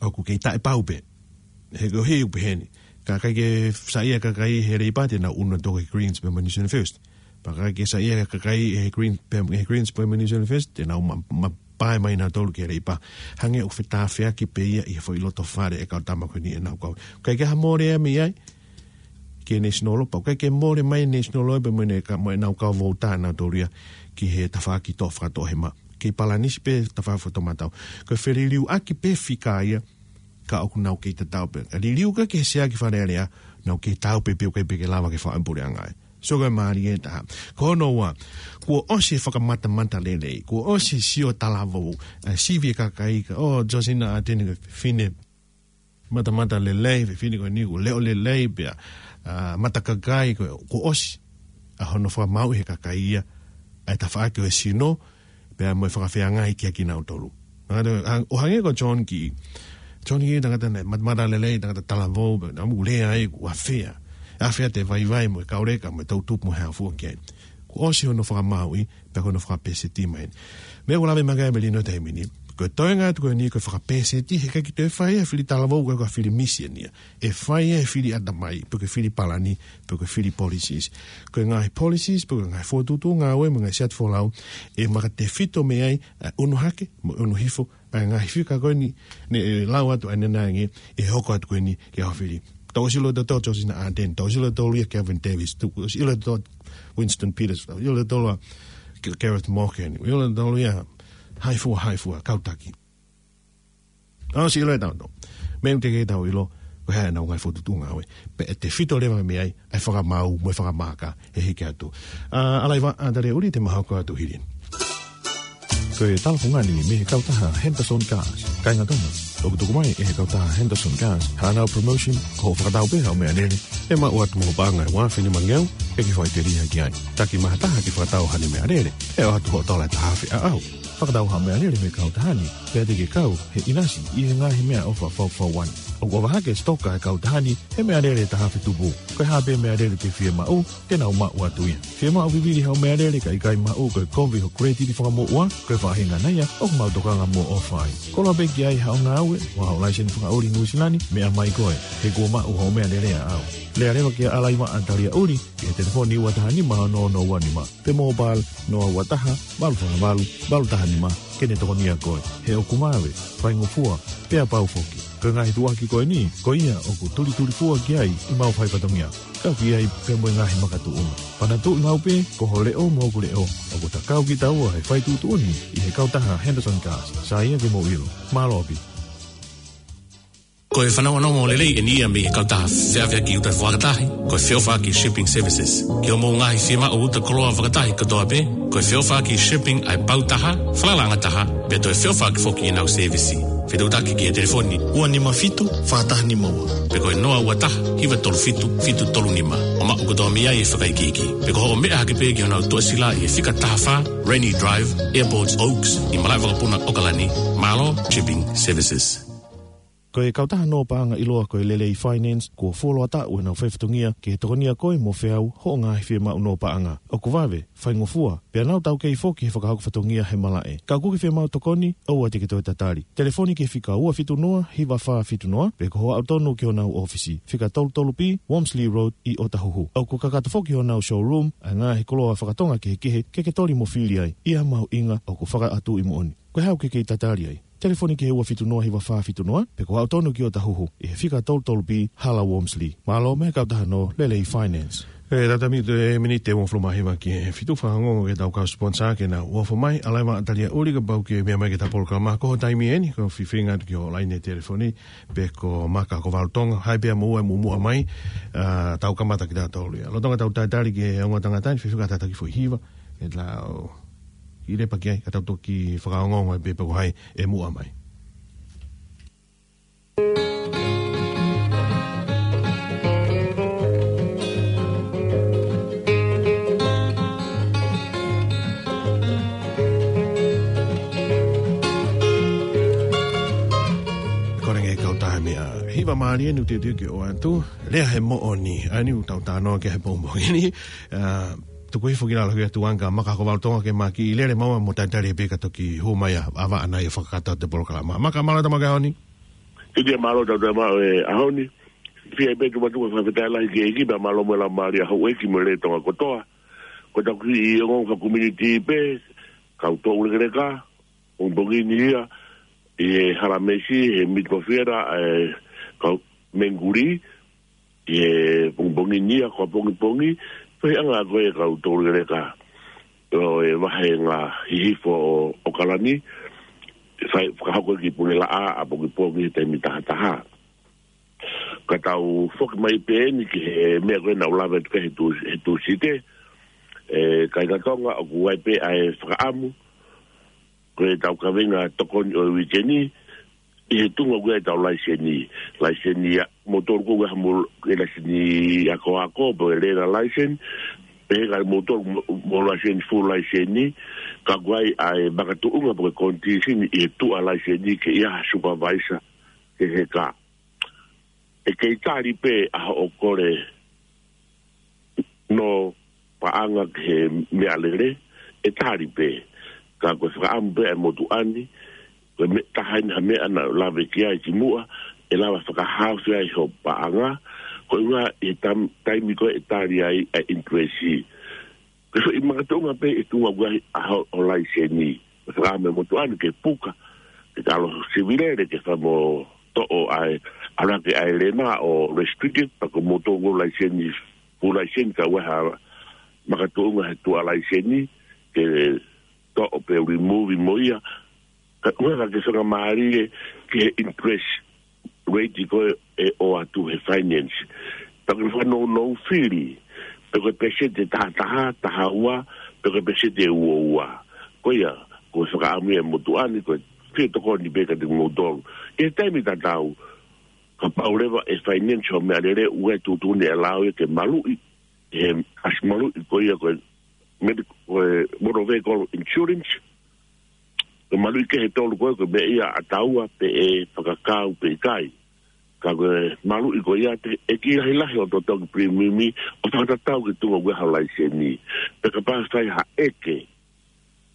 ʻoku kei taʻepau pē. He ko e hei ʻoku pehē ni. Ka ʻikai ke saiʻia e kakai he Leipa te nau ʻunu atu ki he Greens pea mo e New Zealand First. Pea ka ʻikai ke saiʻia e kakai he Greens pea, he Greens pea mo e New Zealand First, te nau ma, ma, pae mai nautolu ki he Leipa. Hangē ʻoku fetāfeaki pē ia ʻi he foʻi lotofale e kau tama ko eni ʻenau kau. ʻIkai ke ha mole ia mei ai, ki he National, pea ʻikai ke mole mai National pea mo ʻene ka, mo ʻenau kau vouti nautolu ia ki he tafaʻaki toʻo fakatoʻohema. Kei palanisi pē tafaʻaki fakatoʻomatau. Ko e feliliuaki pē fika ia, ka ʻoku nau kei tatau pē. Ka liliu ka ki he Sea ki Fale Alea, nau kei tatau pē pea ʻikai pē ke lava ke faʻa puleʻanga ai. So ko e mālie ʻe taha. Ko hono ua, kuo ʻosi e fakamatamatalelei, kuo ʻosi e sio talavou, ʻa e sivi e kakai ka, ʻo Josina Ardern ko e fefine matamatalelei, fefine ko eni kuo leʻo lelei pea, a, matakakai ko, kuo ʻosi ʻa hono fakamāuʻi he kakai ia, ʻa e tafaʻaki ʻo e sino, pea mo e fakafeangai kia kinautolu. Tangata, hang-, ʻo hangē ko John Key. John Key tangata naʻe mat-, matamatalelei, tangata talavou, pea naʻa mou lea ai, kuo ʻafea. ʻAfea ʻete vaivai mo e kau leka, mo e toʻutupu mo e hā fua ki ai. Kuo ʻosi hono fakamāuʻi, pea ko hono fakapēseti mai. Meʻa ʻoku lave mai ki ai Melino he taimi ni. Ko e toenga atu ko eni ko e fakapēseti, he ʻikai ke toe fai ia he fili talavou, ko e fili misiona ia. ʻE fai ia he fili ʻatamai, pe ko e fili palani, pe ko e fili policies. Ko e ngaahi policies, pe ko e ngaahi fokotuʻutuʻu ngāue mo e ngaahi siasi folau, ʻe makatefito mei ai, ʻa e ʻunu hake, mo e ʻunu hifo, ʻa e ngaahi fika ko eni, ne ʻe lau atu ʻanenai ange, ʻe hoko atu ko eni, ke hao fili. Tau ʻosi ʻilo ʻe tautolu Josina Ardern, tau ʻosi ʻilo ʻe tautolu ia Kelvin Davis, tau ʻosi ʻilo ʻe tautolu Winston Peters, tau ʻosi ʻilo ʻe tautolu ia Gareth Morgan, ʻilo ʻe tautolu ia hai fua, hai fua, kau taki. Tau ʻosi ʻilo ʻe tautolu. Meʻa ʻoku teʻeki ke tau ʻilo, ko e hā ʻenau ngaahi fokotuʻutuʻu ngāue. Pea ʻe tefito leva mei ai, ʻa e fakamāu, mo e fakamaka, ʻe hiki atu. A, ʻAlaivaʻa Taliaʻuli te mau hoko atu hili eni. Ko e tala fungani mei he kautaha Henderson Cars. Kāinga Tonga, ʻoku tuku mai ʻe he kautaha Henderson Cars haʻanau promotion, ko hoʻo fakatau pē haʻo meʻalele, ʻe maʻu atu mo ho paʻanga ʻe ua afe nima ngeau, ke ke faʻiteliha ki ai. Taki mai ha taha ke fakatau haʻane meʻalele, ʻe ʻoatu hoʻo tola ʻe taha afe ʻaʻau. Fakatau haʻo meʻalele mei he kautaha ni, pea te ke kau he ʻinasi ʻi he ngaahi meʻaʻofa fakafaifekau. ʻOku ʻofa hake e sitoka ʻa e kautaha ni he meʻalele ʻe taha afe tupu. Ko e hā pē meʻalele te ke fiemaʻu, te nau maʻu atu ia. Fiemaʻu vivili haʻo meʻalele ka ʻikai maʻu, ko e kovi ho credit fakamoʻua, ko e faʻahinga ia ʻoku mau tokanga mo ʻofa ai. Koloa pē ki ai haʻo ngāue, mo haʻo laiseni fakaʻuli Nuʻu Sila ni, meʻa mai koe, he kuo maʻu hoʻo meʻalele ʻaʻau. Lea leva kia ʻAlaivaʻa Taliaʻuli, ki he telefoni ua taha nima ono ono ua nima. Pe mobile, noa ua taha, valu fā valu, valu taha nima, ke ne tokonia koe. He ʻoku vave, faingofua, pea pau foki. Ko e ngaahi tuʻuaki ko eni, ko ia ʻoku tulitulifua ki ai ʻemau fai fatongia. Kau ki ai pea mo e ngaahi makatuʻunga. Panatuʻi mau pē, ko ho leʻo mo hoku leʻo, ʻoku ta kau kitaua he fai tuʻutuʻuni ʻi he kautaha Henderson Cars. Sai ia ke mou ʻilo. Mālō ʻaupito. Ko Ko e fanongonongo lelei eni ia mei he kautaha feʻaveʻaki uta fakatahi, ko e Feʻofaʻaki Shipping Services. Ki hoʻomou ngaahi fiemaʻu uta koloa fakatahi kotoa pē, ko e Feʻofaʻaki Shipping ʻa e pau taha, falalaʻanga taha, pea toe feʻofaʻaki foki ʻenau sēvisi. Fetuʻutaki ki he telefoni ua nima fitu, fā taha nima ua. Pe ko e noa ua taha, hiva tolu fitu, fitu tolu nima. ʻO maʻu kotoa mei ai e fakaikiiki. Pe ko hoʻo meʻa hake pē ki honau tuʻasila ʻi he fika taha fā, Rainy Drive, Airport Oaks, ʻi Malaʻevakapuna, ʻAokalani. Mālō Shipping Services. Ko e kautaha nō paʻanga ʻiloa ko e Lelei Finance, kuo fuoloa taʻu ʻenau faifatongia ke tokonia koe mo feau hoʻo ngaahi fiemaʻu nō paʻanga. ʻOku vave, faingofua, pea nau taukei foki he fakahoko fatongia he malaʻe. Ka ʻoku ke fiemaʻu tokoni, ʻoua te ke toe tatali. Telefoni ki he fika ua fitu noa, hiva fā fitu noa, pe ko hoʻo aʻu tonu ki honau ʻōfisi, fika tolu tolu B, Wormsley Road, ʻi ʻOtahuhu. ʻOku kakato foki honau showroom ʻa e ngaahi koloa fakatonga kehekehe ke ke toli mo fili ai, ʻi ha mahuʻinga ʻoku fakaʻatuʻi moʻoni. Ko e hā ʻoku ke kei tatali ai? Telefoni ki he ua fitu noa hiva fā fitu noa, pe ko hoʻo aʻu tonu ki ʻOtahuhu, ʻi he fika tolu tolu B, Hala Wormsley. Mālō mei he kautaha nō Lelei Finance. E, tata mi te miniti ʻe uofulu mā hiva ki he fitu, fakaongoongo ki heʻetau kau sponsor ke nau ʻofa mai, ʻaleva talia ʻuli kapau ʻoku ke meʻa mai ki heʻetau polokalama, ko hoʻo taimi eni, ko e feinga atu ki hoʻo laine telefoni, pe ko Maka Kovalutonga, haʻi pē mo ua muʻomuʻa mai, ʻa, tau kamata kitautolu ia. Lolotonga ʻetau talitali ki he ongo tangata ni, fefeka tataki foʻi hiva, ʻe tau ʻi lepa ki ai, ka tau toki fakaongoongo ai pē pe ko hai ʻe muʻa mai. Ko e ngaahi kautaha meʻa hiva mālie eni ʻoku teuteu ke ʻoatu, lea he moʻoni, ʻa eni ʻoku tau talanoa ki ai he pongipongi ni, ʻa, tuku hifo ki lalo ki he tuʻunga Maka Kovalutonga ke ma kiʻi lele maua mo talitali pē ka toki hū mai ʻa, ʻa Vaʻa ʻanai ʻo fakakakato atu e polokalama. Maka, mālō e tau maʻu e ʻaho ni. Kitia, mālō e tau maʻu e ʻaho ni. Fie pē tuʻu atu e fakafetaʻi lahi ki he ʻEiki pea mālō mo e laumālie ʻa houʻeiki mo e lea Tonga kotoa. Ko ʻetau kiʻi ongoongo fakakomiunitī pē, kau toulekeleka, pongipongi ni ia, ʻi he Hala Meisi, he Miti Mofiera, ʻe, kau Menguli, ʻi he pongipongi ni ia, ko e pongipongi, fehiʻanga ko e kau toulekeleka ʻo e vāhenga hihifo ʻo, ʻAokalani, fai, fakahoko ki Pulelaʻa, ʻapongipongi he taimi tahataha. Ka tau foki mai pē eni ki he meʻa ko ē naʻa ku lave atu ki ai he Tū-, he Tūsite, ʻe, kāinga Tonga ʻoku ʻi ai pē ʻa e fakaʻamu, ko ʻetau kaveinga tokoni ʻo e uike ni, ʻi he tuʻunga ko ē ʻetau laiseni. Laiseni ʻa, mo tolu ko ē ha mo e laiseni akoako, pe ko e learner license, pe ko e mo tolu mo, mo laiseni full laiseni, ka ko e ʻai ʻa e makatuʻunga pe ko e condition ʻi he tuʻa laiseni ke ʻi ai ha supervisor, ke he ka. ʻE kei tali pē ʻa hoʻo kole nō paʻanga ki he meʻalele, ʻe tali pē. Ka ko e fakaʻamu pē ʻa e motuʻa ni, ko e meʻa taha eni ha meʻa naʻa ku lave ki ai kimuʻa, ʻe lava fakahaofi ai hoʻo paʻanga, ko e ʻuhinga ʻi he tam-, taimi ko ē ʻe tali ai ʻa e interest. Ko e foʻi makatuʻunga pē ʻi he tuʻunga ko ē ʻa ho-, hoʻo laiseni. Ko e fakaʻamu ʻa e motuʻa ni ke puka, ke talo sivilele ke fai mo toʻo ʻa e, ʻalu hake ʻa e learner ʻo restricted, pea ko e mo tolu ko ē laiseni, full laiseni ka ʻoku ʻi ai ha makatuʻunga he tuʻa laiseni, ke toʻo pe remove mo ia. Ka ʻoku ʻikai ke fakamālie ki he interest rate ko ē ʻe ʻoatu he finance. Pea ko e fakanounou fili, pe ko e peseti ʻe taha taha, taha ua, pe ko e peseti ʻe ua ua. Ko ia, ko e fakaʻamu ia ʻa e motuʻa ni, ko e fie tokoni pē kiate kimoutolu. ʻI he taimi tatau, kapau leva ʻe finance hoʻo meʻalele, ʻoku ʻi ai e tuʻutuʻuni ʻe allow ia ke maluʻi, he ʻasi maluʻi ko ia ko e medic-, ko e motor vehicle insurance, ko e maluʻi kehe ʻe tolu ko ē, ko e meʻa ia ʻa taua pe ʻe fakakau pe ʻikai. Ka ko e maluʻi ko ia te, ʻe kiʻi lahilahi hoʻo totongi premium ʻo fakatatau ki he tuʻunga ko ē hoʻo laiseni. Pea kapau ʻe fai ha ʻeke,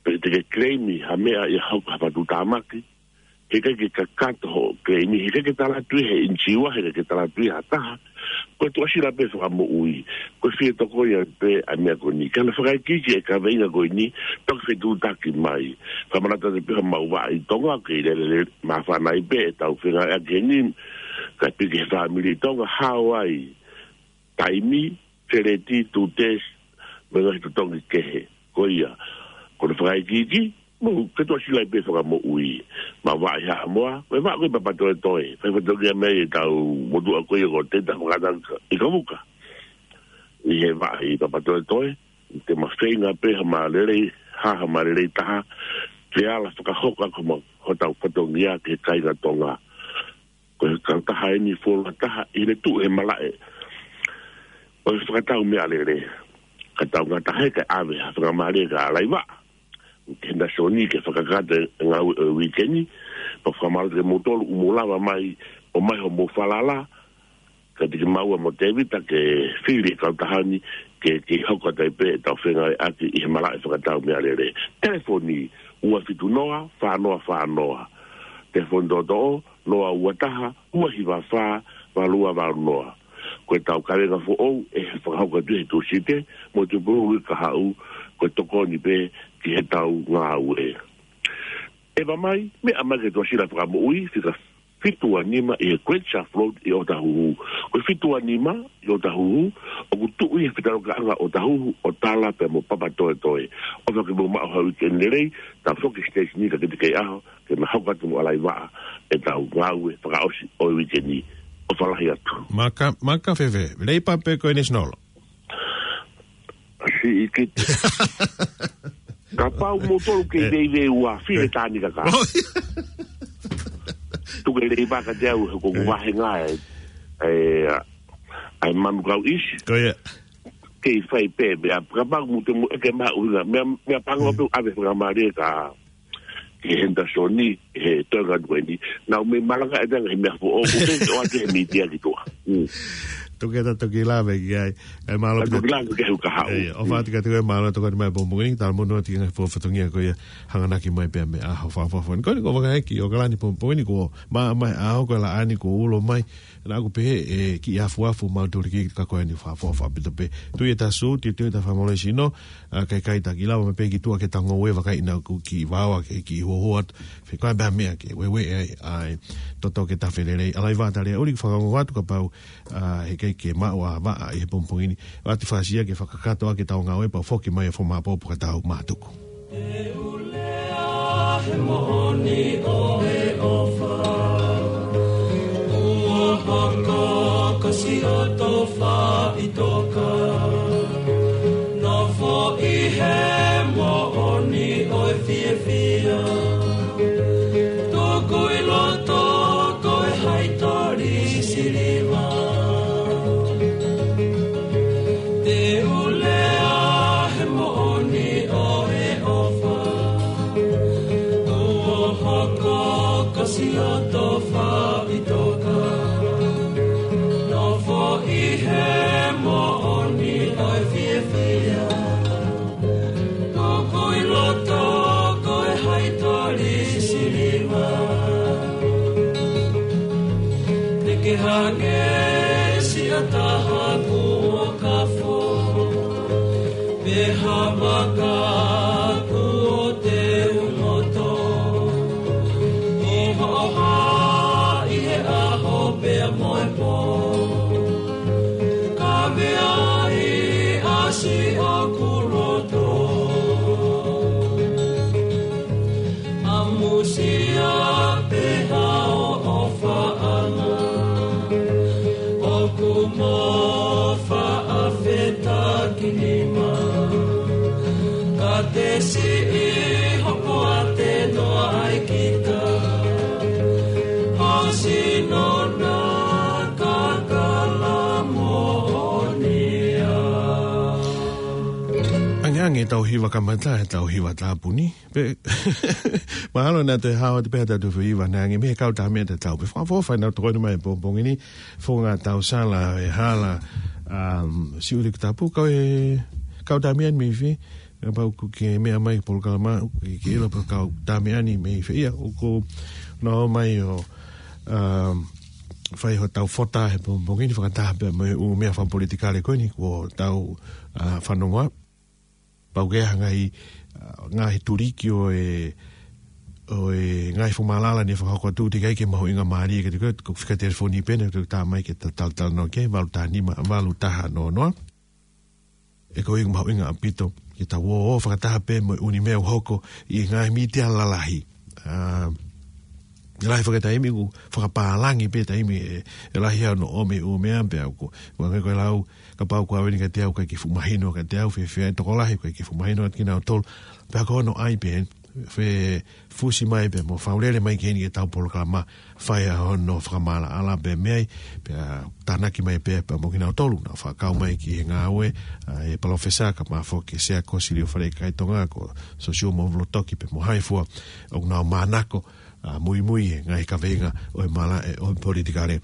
pe te ke claim ha meʻa ʻi he hoko ha fakatuʻutāmaki, heʻikai ke kakato hoʻo claim, heʻikai ke tala atu ia ʻe he insurer, heʻikai ke tala atu ia ʻe ha taha, ko e tuʻasila pē fakamoʻui. Ko e fie tokoni pē ʻa e meʻa ko eni. Ka naʻe fakaikiiki e kaveinga ko eni, toki fetuʻutaki mai. Fakamanatu atu pē homau vaʻa ʻi Tonga, ʻoku kei lele māfana ai pē ʻetau fengāueʻaki heni, kae piki he fāmili ʻi Tonga, hao ai, taimi, feleti, tūtesi, mo e ngaahi totongi kehe. Ko ia, ko hono fakaikiiki, Mou, ke tuʻasila pē fakamoʻui. Mau vaʻa ʻi Haʻamoa, ko e vaʻa ko ē Papatoetoe. Fai fatongia mai ʻetau motuʻa ko ia ko Teta Fakataka ʻi Kavuka. ʻI he vaʻa ʻi Papatoetoe, te ma feinga pē ha ma lelei, ha, ha ma lelei taha, ke ala fakahoko ʻaki homa, hotau fatongia ki he kāinga Tonga. Ko e kautaha eni fuoloa taha ʻi he tuʻu he malaʻe ʻo e fakatau meʻalele. Ka tau ngata he kae ʻave ha fakamālie kia Laiva. Ke henda soni ke fakakata e ngāue ʻo e uike ni, pea fakamālō ke mou tolu ʻoku mou lava mai, ʻomai hoʻomou falala, ka te ke maua mo Tevita ke fili e kautaha ni, ke, ke hoko atu ai pē ʻetau fengāueʻaki ʻi he malaʻe fakatau meʻalele. Telefoni, ua fitu noa, fā noa fā noa. Telefoni toʻotoʻo, noa ua taha, ua hiva fā, valu ua valu noa. Ko ʻetau kavenga foʻou, ʻe fakahoko atu he Tūsite, mo Tupululu ʻi Kahaʻu, ko e tokoni pē ki heʻetau ngāue. ʻE ʻomai, meʻa mai ke tuʻasila fakamoʻui, fika fitu ua nima ʻi he Great Shelf Road ʻi ʻŌtāhuhu. Ko e fitu ua nima ʻi ʻŌtāhuhu, ʻoku tuʻu ʻi he fetaulakaʻanga ʻo ʻŌtāhuhu, ʻo Tala pea mo Papatoetoe. ʻOfa ke mou maʻu ha uike lelei, tau foki station ni ka kitekei ʻaho, ke ma hoko atu mo Laiva, ʻetau ngāue fakaʻosi ʻo e uike ni. ʻOfa lahi atu. Maka, maka fēfē, Leipa pe ko e National? Siʻi kite. Kapau mou tolu kei veiveiua, file tāni kaka. Oh, ia. Tuku e Leipa kiate au, he ko ʻeku vāhenga ē, ē, ʻa e Manukau East. Ko ia. Kei fai pē, meʻa, kapau mou te mou ʻeke mai ʻuhinga, meʻa, meʻa pango pē ʻave fakamālie kia Henderson ni, he toenga tueni. Nau mei malanga e tanga he meʻa foʻou, ko te o ake he mītia ki tuʻa. Mm. Tuku ē ta toki lave ki ai. ʻE mālō pē. Toki lave ki ai ʻoku haʻu. ʻE, ʻofa atu kiate koe, mālō tokoni mai pongipongi ni, talamonū atu ki he ngaahi fatongia ko ia, hanganaki mai pē meʻa ʻa ho fakafofonga. Ko eni ko e vakai ki ʻOkalani pongipongi ni ko, ma, ma, ʻa ʻoku laʻā ni ko ulo mai. Naʻa ku pehē ʻe kiʻi afuafu mau tuli ki ka ko eni fakafofonga pito pē. Tui ʻe ta sū, tui, tui ʻe ta fakamolesino, ʻa, kai kai ta ki lava mai pē ki tuʻa ke ta ngoue vakai naʻa ku kiʻi vaoa ke kiʻi hoho atu. Fekau pē meʻa ke ueue ai, ʻai, toto ke ta felelei. ʻAlaiva, tali ʻuli fakaongo atu kapau, ʻa, heʻikai ke maʻu ʻa vaʻa ʻi he pongipongi ni. Vati fasia ke fakakakato ʻaki ʻetau ngāue pea foki mai ʻo fomāpopo ka tau mātuku. Te u lea he moʻoni ʻo e ʻofa. Kuo hoko ko siʻoto faʻitoka. Nofo ʻi he moʻoni ʻo e fiefia. Tuku ʻi loto ko e haitoli siliva. Te u lea he moʻoni ʻo e ʻofa. Kuo hoko ko siʻoto faʻitoka. Nofo ʻi he moʻoni ʻo e fiefia. Tuku ʻi loto ko e haitoli siliva. Te ke hangē siʻa taha kuo kafo. Pea maka kuo teu moto. ʻI hoʻo hā ʻi he ʻaho pea mo e pō. Ka meaʻi ʻa siʻoku loto. ʻAmusia pē hoʻo ʻofaʻanga. ʻOku mo faʻa fetaki nima. Ka te siʻi hopo ate noa ai kita. Hasi nona kakala moʻonia. Angeange tau hiva kamata, tau hiva tāpuni. Pe, mahalo naʻa te hao te pehē tau tu hiva, naʻe ange mei he kau tā meʻa te tau. Pe fakafofa naʻa tokoni mai pongipongi ni, fonga tau sala e hala, um, siʻuli ki tapu, kau e, kau tā meʻa ni mei fē, kapau ʻoku ke meʻa mai polokalama, ke, ke ʻilo pe kau tā meʻa ni mei fē ia, ʻoku nau mai ʻo, um, fai hotau fota he pongipongi ni fakataha pē mo e ʻū meʻa fakapolitikale ko eni, kuo tau, uh, fanongoa. Pau ke hanga ʻi, uh, ngaahi tuliki ʻo e, ʻo e ngaahi fomalala ni fakahoko atu teʻeki ai ke mahuʻinga mālie, ke te ko, ko fika telefoni pē ʻe tā mai ke ta, ta, ta no ke, valu taha nima, valu taha noa noa. ʻE ko ia mahuʻinga ʻaupito. ke tau ō fakataha pē mo e ʻū meʻa ʻoku hoko ʻi he ngaahi mītia lalahi. ʻA, lahi fakataimi ʻoku fakapālangi pē taimi ʻe, ʻe lahi hano ʻomi ʻū meʻa pea ʻoku, ʻoku ʻikai ko e lau, kapau ʻoku ʻave ni kiate au ʻikai ke fuʻu mahino kiate au, fēfē ai tokolahi ʻikai ke fuʻu mahino kiate kinautolu. Pea ko hono ʻai pē, fefusi mai pē mo fakalele mai ki heni ʻetau polokalama, fai ʻa hono fakamaʻalaʻala pē mei ai, pea tānaki mai pē pea mo kinautolu naʻa nau fakakau mai ki he ngāue, ʻa e palōfesa kae ʻumaʻā foki e Sea Kōsilio Faleʻi Kakai Tonga ko Sosiua Moʻulotoki pea mo Haifua, ʻoku nau manako, ʻa, muimui he ngaahi kaveinga ʻo e malaʻe ʻo e politikale.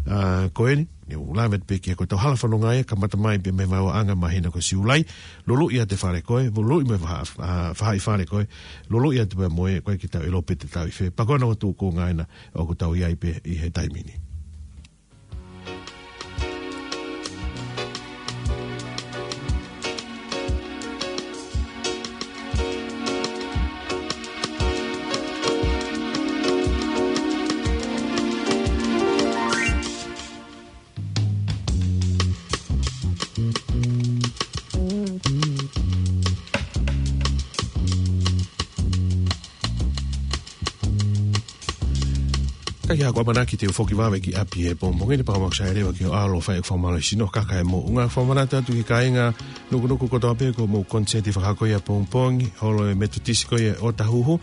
ʻA, ko eni, ne u lave pē ki he ko ʻetau hala fononga ia, kamata mai pē mei he vaeuaʻanga māhina ko Siulai, luluʻi ʻa e fale ko ē, luluʻi mei he vaha-, ʻa, faʻahi fale ko ē, luluʻi atu pē mo e, ʻoku ʻikai ke tau ʻilo pe te tau ʻi fē. Pea ko hono tuʻunga ena ʻoku tau ʻi ai pē ʻi he taimi ni. Ka ʻi heʻeku ʻamanaki te u foki vave ki ʻapi he pongipongi ni, pea ʻoku ou ʻosi leva ki hoʻo ʻalu ʻo fai ʻeku fakamālō sino, kaka e moʻunga. Fakamanatu atu ki he kāinga Nukunuku kotoa pē ko hoʻomou koniseti fakahoko ia pongipongi, holo e Metotisi ko ia ʻo Ōtāhuhu.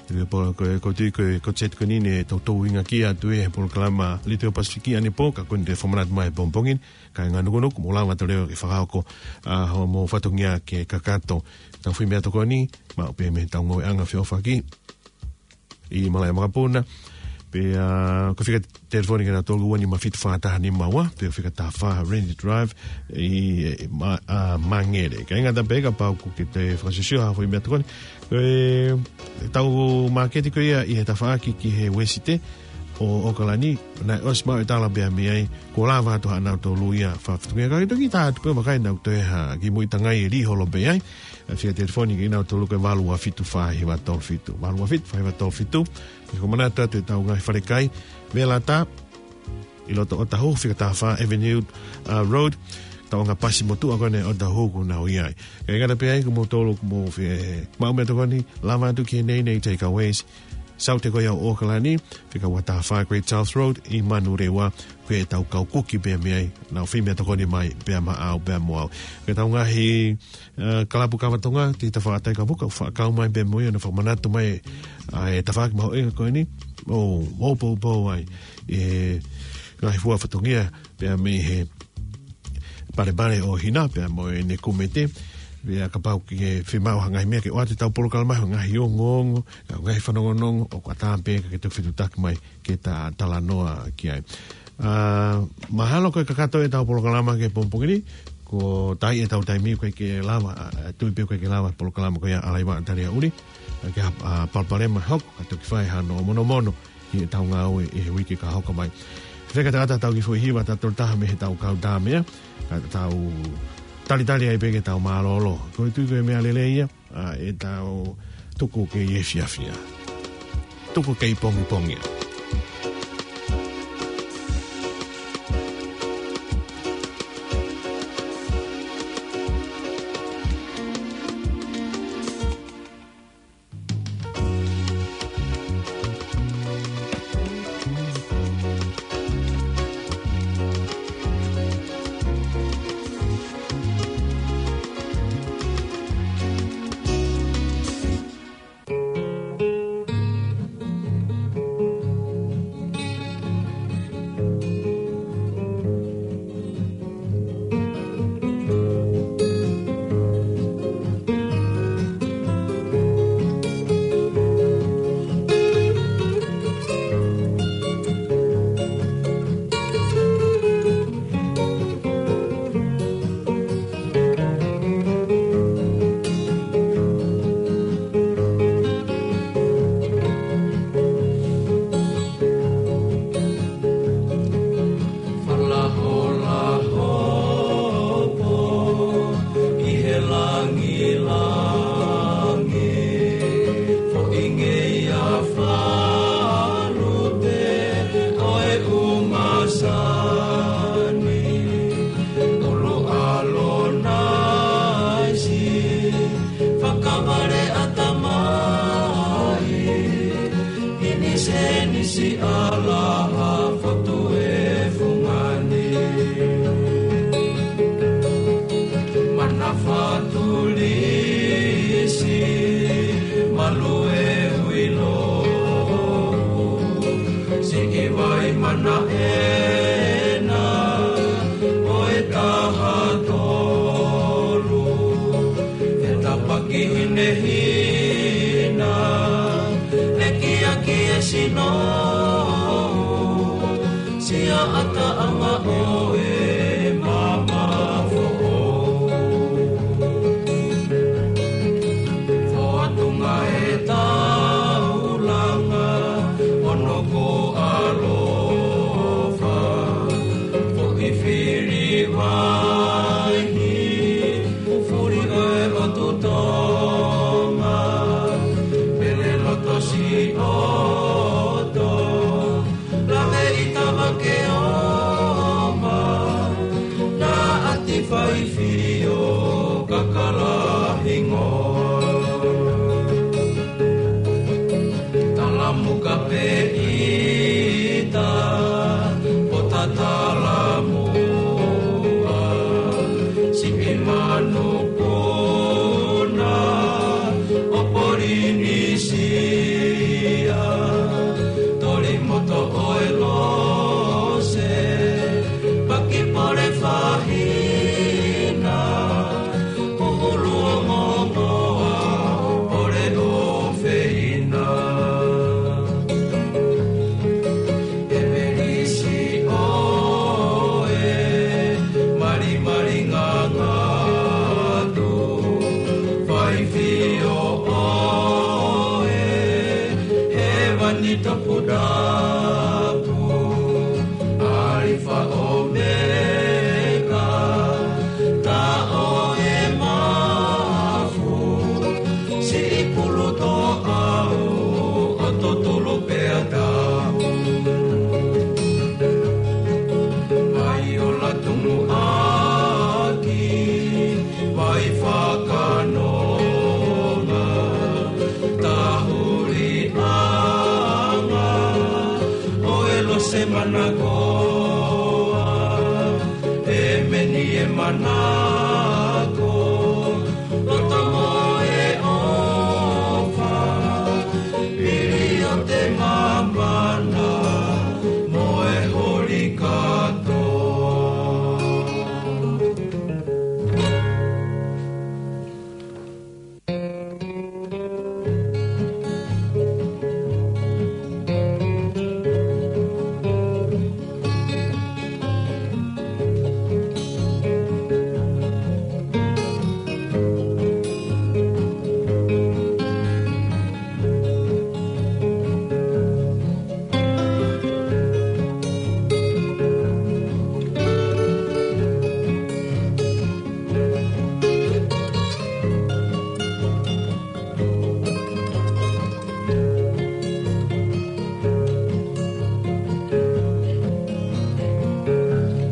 Ko e po-, ko e, ʻoku ou tui ko e koniseti ko eni ne toutou inga ki atu ʻi he polokalama Letiō Pasifiki ʻanepō, ka ko eni te fakamanatu mai pongipongi ni, kāinga Nukunuku, mou lava atu leva ke fakahoko, ʻa, hoʻomou fatongia ke kakato. Tau fai meʻatokoni, maʻu pē mei heʻetau ngāueʻanga feʻofaʻaki ʻi Malaʻe Makapuna. Pea, ʻa, ko e fika telefoni ke na tolu ua nima fitu fā taha nima ua, pe ko e fika taha fā Randy Drive ʻi, ʻi Ma-, ʻa, Māngere. ʻIkai ngata pē kapau ʻoku ke toe fakasiosio ha foʻi meʻatokoni. Ko e, ʻetau māketi ko ia ʻi he tafaʻaki ki he Uēsite ʻo ʻOkalani, naʻe ʻosi maʻu e tala pea mei ai, kuo lava atu haʻanautolu ia fakafatongia, ka ke toki tā atu pē ʻo vakai naʻa ʻoku toe ha kiʻi muiʻi tangai ʻe lī holo pē ai. ʻA e fika telefoni kinautolu ko e valu ua fitu fā hiva tolu fitu. Valu ua fitu fā hiva tolu fitu. Ke fakamanatu atu ʻetau ngaahi falekai, Velata, ʻi loto Ōtāhuhu, fika taha fā Avenue, ʻa, Road, tauʻanga pasi motuʻa ko eni ʻo Ōtāhuhu ʻoku nau ʻi ai. ʻIkai ngata pē ai, ko moutolu ʻoku mou fie maʻu meʻatokoni, lava atu ki he Nei Nei Takeaways, Saute ko ia ʻo ʻOkalani, fika ua taha fā Great South Road ʻi Manurewa, ko ʻetau kau kuki pē mei ai, nau fai meʻatokoni mai pea maʻau pea mo au. Ko ʻetau ngaahi, ʻa, kalapu kava Tonga, ʻi he tafaʻaki Takapuka, fakakau mai pē mo ia, ʻo na fakamanatu mai, ʻa, e tafaʻaki mahuʻinga ko eni, ʻo, ʻo poupou ai e ngaahi fua fatongia pea mei he Palepale ʻo Hina, pea mo ʻene kumete, pea kapau ʻoku ke fiemaʻu ha ngaahi meʻa ke ʻoatu ʻetau polokalama, ha ngaahi ongoongo, ha ngaahi fanongonongo, ʻoku ʻatā pē ke ke toki fetuʻutaki mai ke ta talanoa ki ai. ʻA, mahalo ko e kakato ʻetau polokalama ki he pongipongi ni, ko e taʻi ʻetau taimi ʻoku ʻikai ke lava, ʻa, tui pē ʻoku ʻikai ke lava polokalama ko ia ʻa Laiva Talia Uli, ʻa, ke ha, ʻa, palopalema hoko, ka toki fai hano monomono ki heʻetau ngāue ʻi he uike ka hoko mai. Fekauʻaki atu ʻetau kiʻi foʻi hiva ʻe tolu taha mei heʻetau kau tā meʻa, ka tau talitali ai pē ke tau mālōlō. Ko e tui ko e meʻa lelei ia, ʻa, ʻetau tuku kei efiafi ia. Tuku kei pongipongi ia. Lue huilo, siʻi vai manaʻena ʻo e taha tolu. He tapaki hinehina, he kiaki e sino, siʻa ʻataʻanga ʻo e mama foʻou. Foatunga e taulanga, ono ko ʻalofa, foʻi fili vaihi, fuli ʻo e ʻotu Tonga, pele loto siʻoto, lave ʻi tava ke oma, na ati faifio kakala hingoa. Talamuka pe ʻita, ʻo tatalamuʻa, siʻi manupuna ʻo Polinisia, toli moto ʻo e lose, paki pole fahina, pupulu ʻo momoa, pole ʻo feina. ʻE melisi ʻo e malimali ngangatu, faifio ʻo e hēvani toputapu, ʻAlifa ʻOmeka, tā ʻo e mafu, siʻi pulu toʻau, ʻo totolo pea tau. Mai ʻo Latumuʻaki, vai fakanonga, tahuliʻanga ʻo e lose manakoa, ʻe meni e manako, loto mo e ʻofa, pili ʻo te mamana mo e holi kātoa.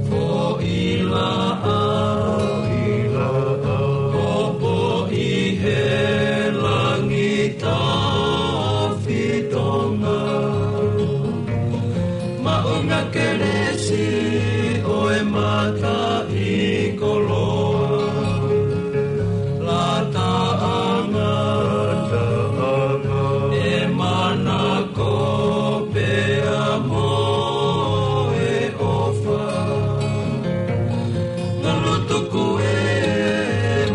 Foʻi laʻā, foʻi laʻā, hopo ʻi he langi taofi Tonga. Maʻu na kelesi ʻo e mataʻi koloa. Lataʻanga, lataʻanga, ʻe manako pea mo e ʻofa. Nulu tuku e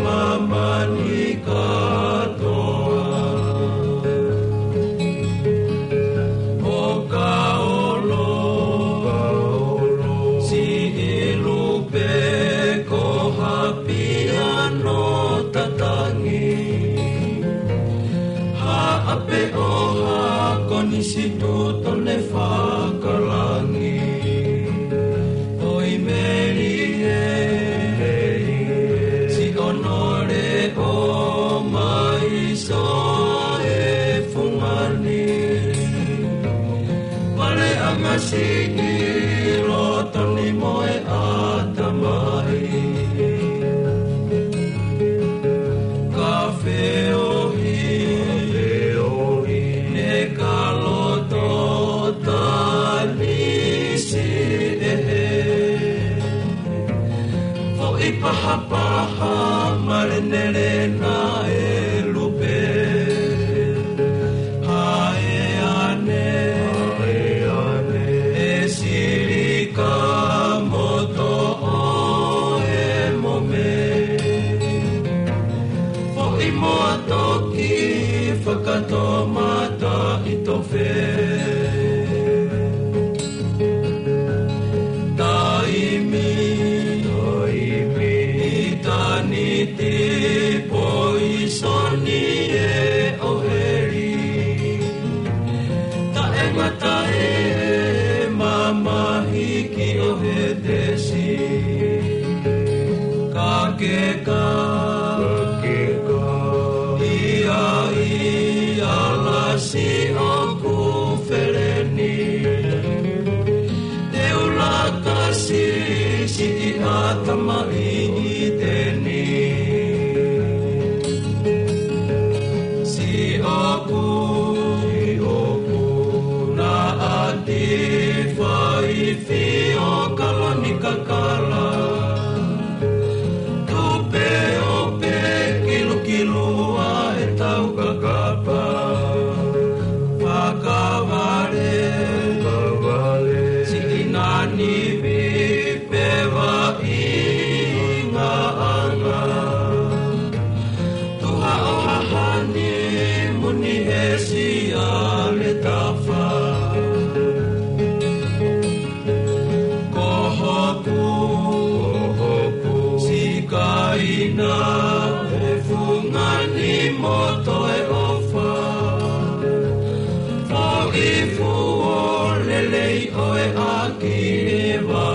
māmani kātoa. ʻO Kaolo, Kaolo, siʻi lupe ko Haʻapiano Tatangi. Haʻape ʻo Haʻa Konisitūtone Fakalangi. ʻOi Melie, Siʻonole ʻo Maiso e Fungani. Maleʻanga siʻi loto ni mo e ʻatamai. Ka feohi, feohi, ne ka loto tanisi ʻe he. Foʻi pahapaha malenelena e lupe. Ka tō mata i tō fē. Taimi, taimi, ʻitāniti poisoni ē ʻo heli. Taʻengata e mamahi ki ʻo Hētesi. Ka ke ka, ka ke ka, ia ʻi ʻalasi ʻoku feleni. Te u laka si, siʻi ʻatamai ʻi teni. Siʻoku, siʻoku, naʻa ti fai fio kaloni kakala. Tupe ʻo pē kilukilu ʻa e tau kakapa. Fakavale, fakavale, siʻi nani vi pe va i nga anga. Tuha ʻo hahani muni he sia le tafa. Ko hoku, ko hoku, sikaina e fungani mo toe ʻofa. Foʻi fuo lelei ʻo e ʻaki e vā.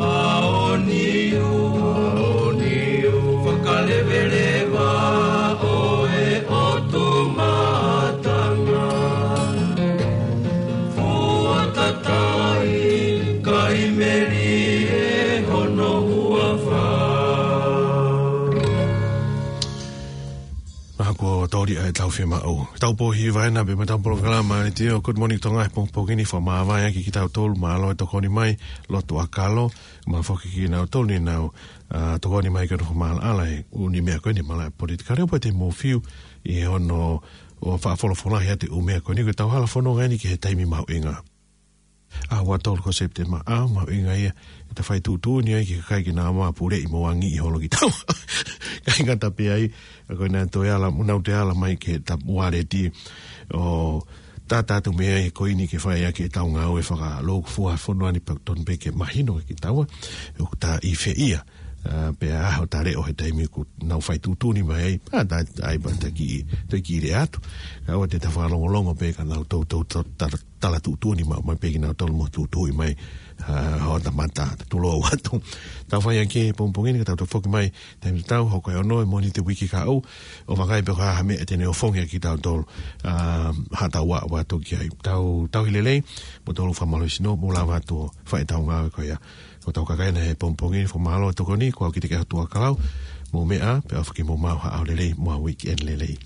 Aoniu, aoniu, fakaleveleva ʻo e ʻotu matanga. Fuatatai, kai meli e hono huafa. Mahalo kuo tō ʻa e tau fiemaʻu. Tau pō hiva ena pē mo e tau polokalama ʻa e Good Morning Tonga he pongipongi ni, fakamāvae ʻaki kitautolu, mālō e tokoni mai, lotu ʻakalo, mo e foki kinautolu ni nau, ā, tokoni mai ke nau fakamaʻalaʻala e ʻū meʻa ko eni, mālō e politikale, ʻo pau te mou fiu ʻi hono ʻo fakafolofolahi atu e ʻū meʻa ko eni, ko e tau hala fononga eni ki he taimi mahuʻinga. ʻAho ua tolu ko Sepitema, ʻaho mahuʻinga ia, ʻe ta fai tuʻutuʻuni ai ki he kakai ke nau mapuleʻi mo angi ʻi holo ki tau. Kāinga ta pē ai, ʻa ko ena toe ala, mo nau toe ala mai ki he ta waleti, ʻo tātā atu mei ai ko eni ke fai ʻaki e tau ngāue fakalōkufua fonua ni, pea tonu pē ke mahino ki taua, ʻoku ta ʻi fē ia. Ā, pea ʻaho ta leʻo he taimi ʻoku nau fai tuʻutuʻuni mai ai, ā, ta, ai pē ta kiʻi, ta kiʻi lea atu. Ka ʻoua te ta fakalongolongo pē ka nau tou, tou, tou, ta, tala tuʻutuʻuni mai, mai pē kinautolu mo tuʻutuʻuni mai, ā, hoʻo ta mata, ta tulou atu. Tau fai ange pongipongi ni ka tau toe foki mai, taimi tau, hoko e ono e Mōnite uike kahaʻu, ʻo vakai pe ko e hā ha meʻa te ne ʻofongi ʻaki kitautolu, ā, ha tau ʻa, ʻa toki ai. Tau, tauhi lelei, mo tolu fakamālō sino, mo lava atu ʻo fai tau ngāue ko ia. Ko tau kakai ena he pongipongi ni, fakamālō tokoni, ko au Kitike Hotuʻakalau, mou meʻa, pea ʻofa ke mou maʻu ha ʻaho lelei, mo ha weekend lelei.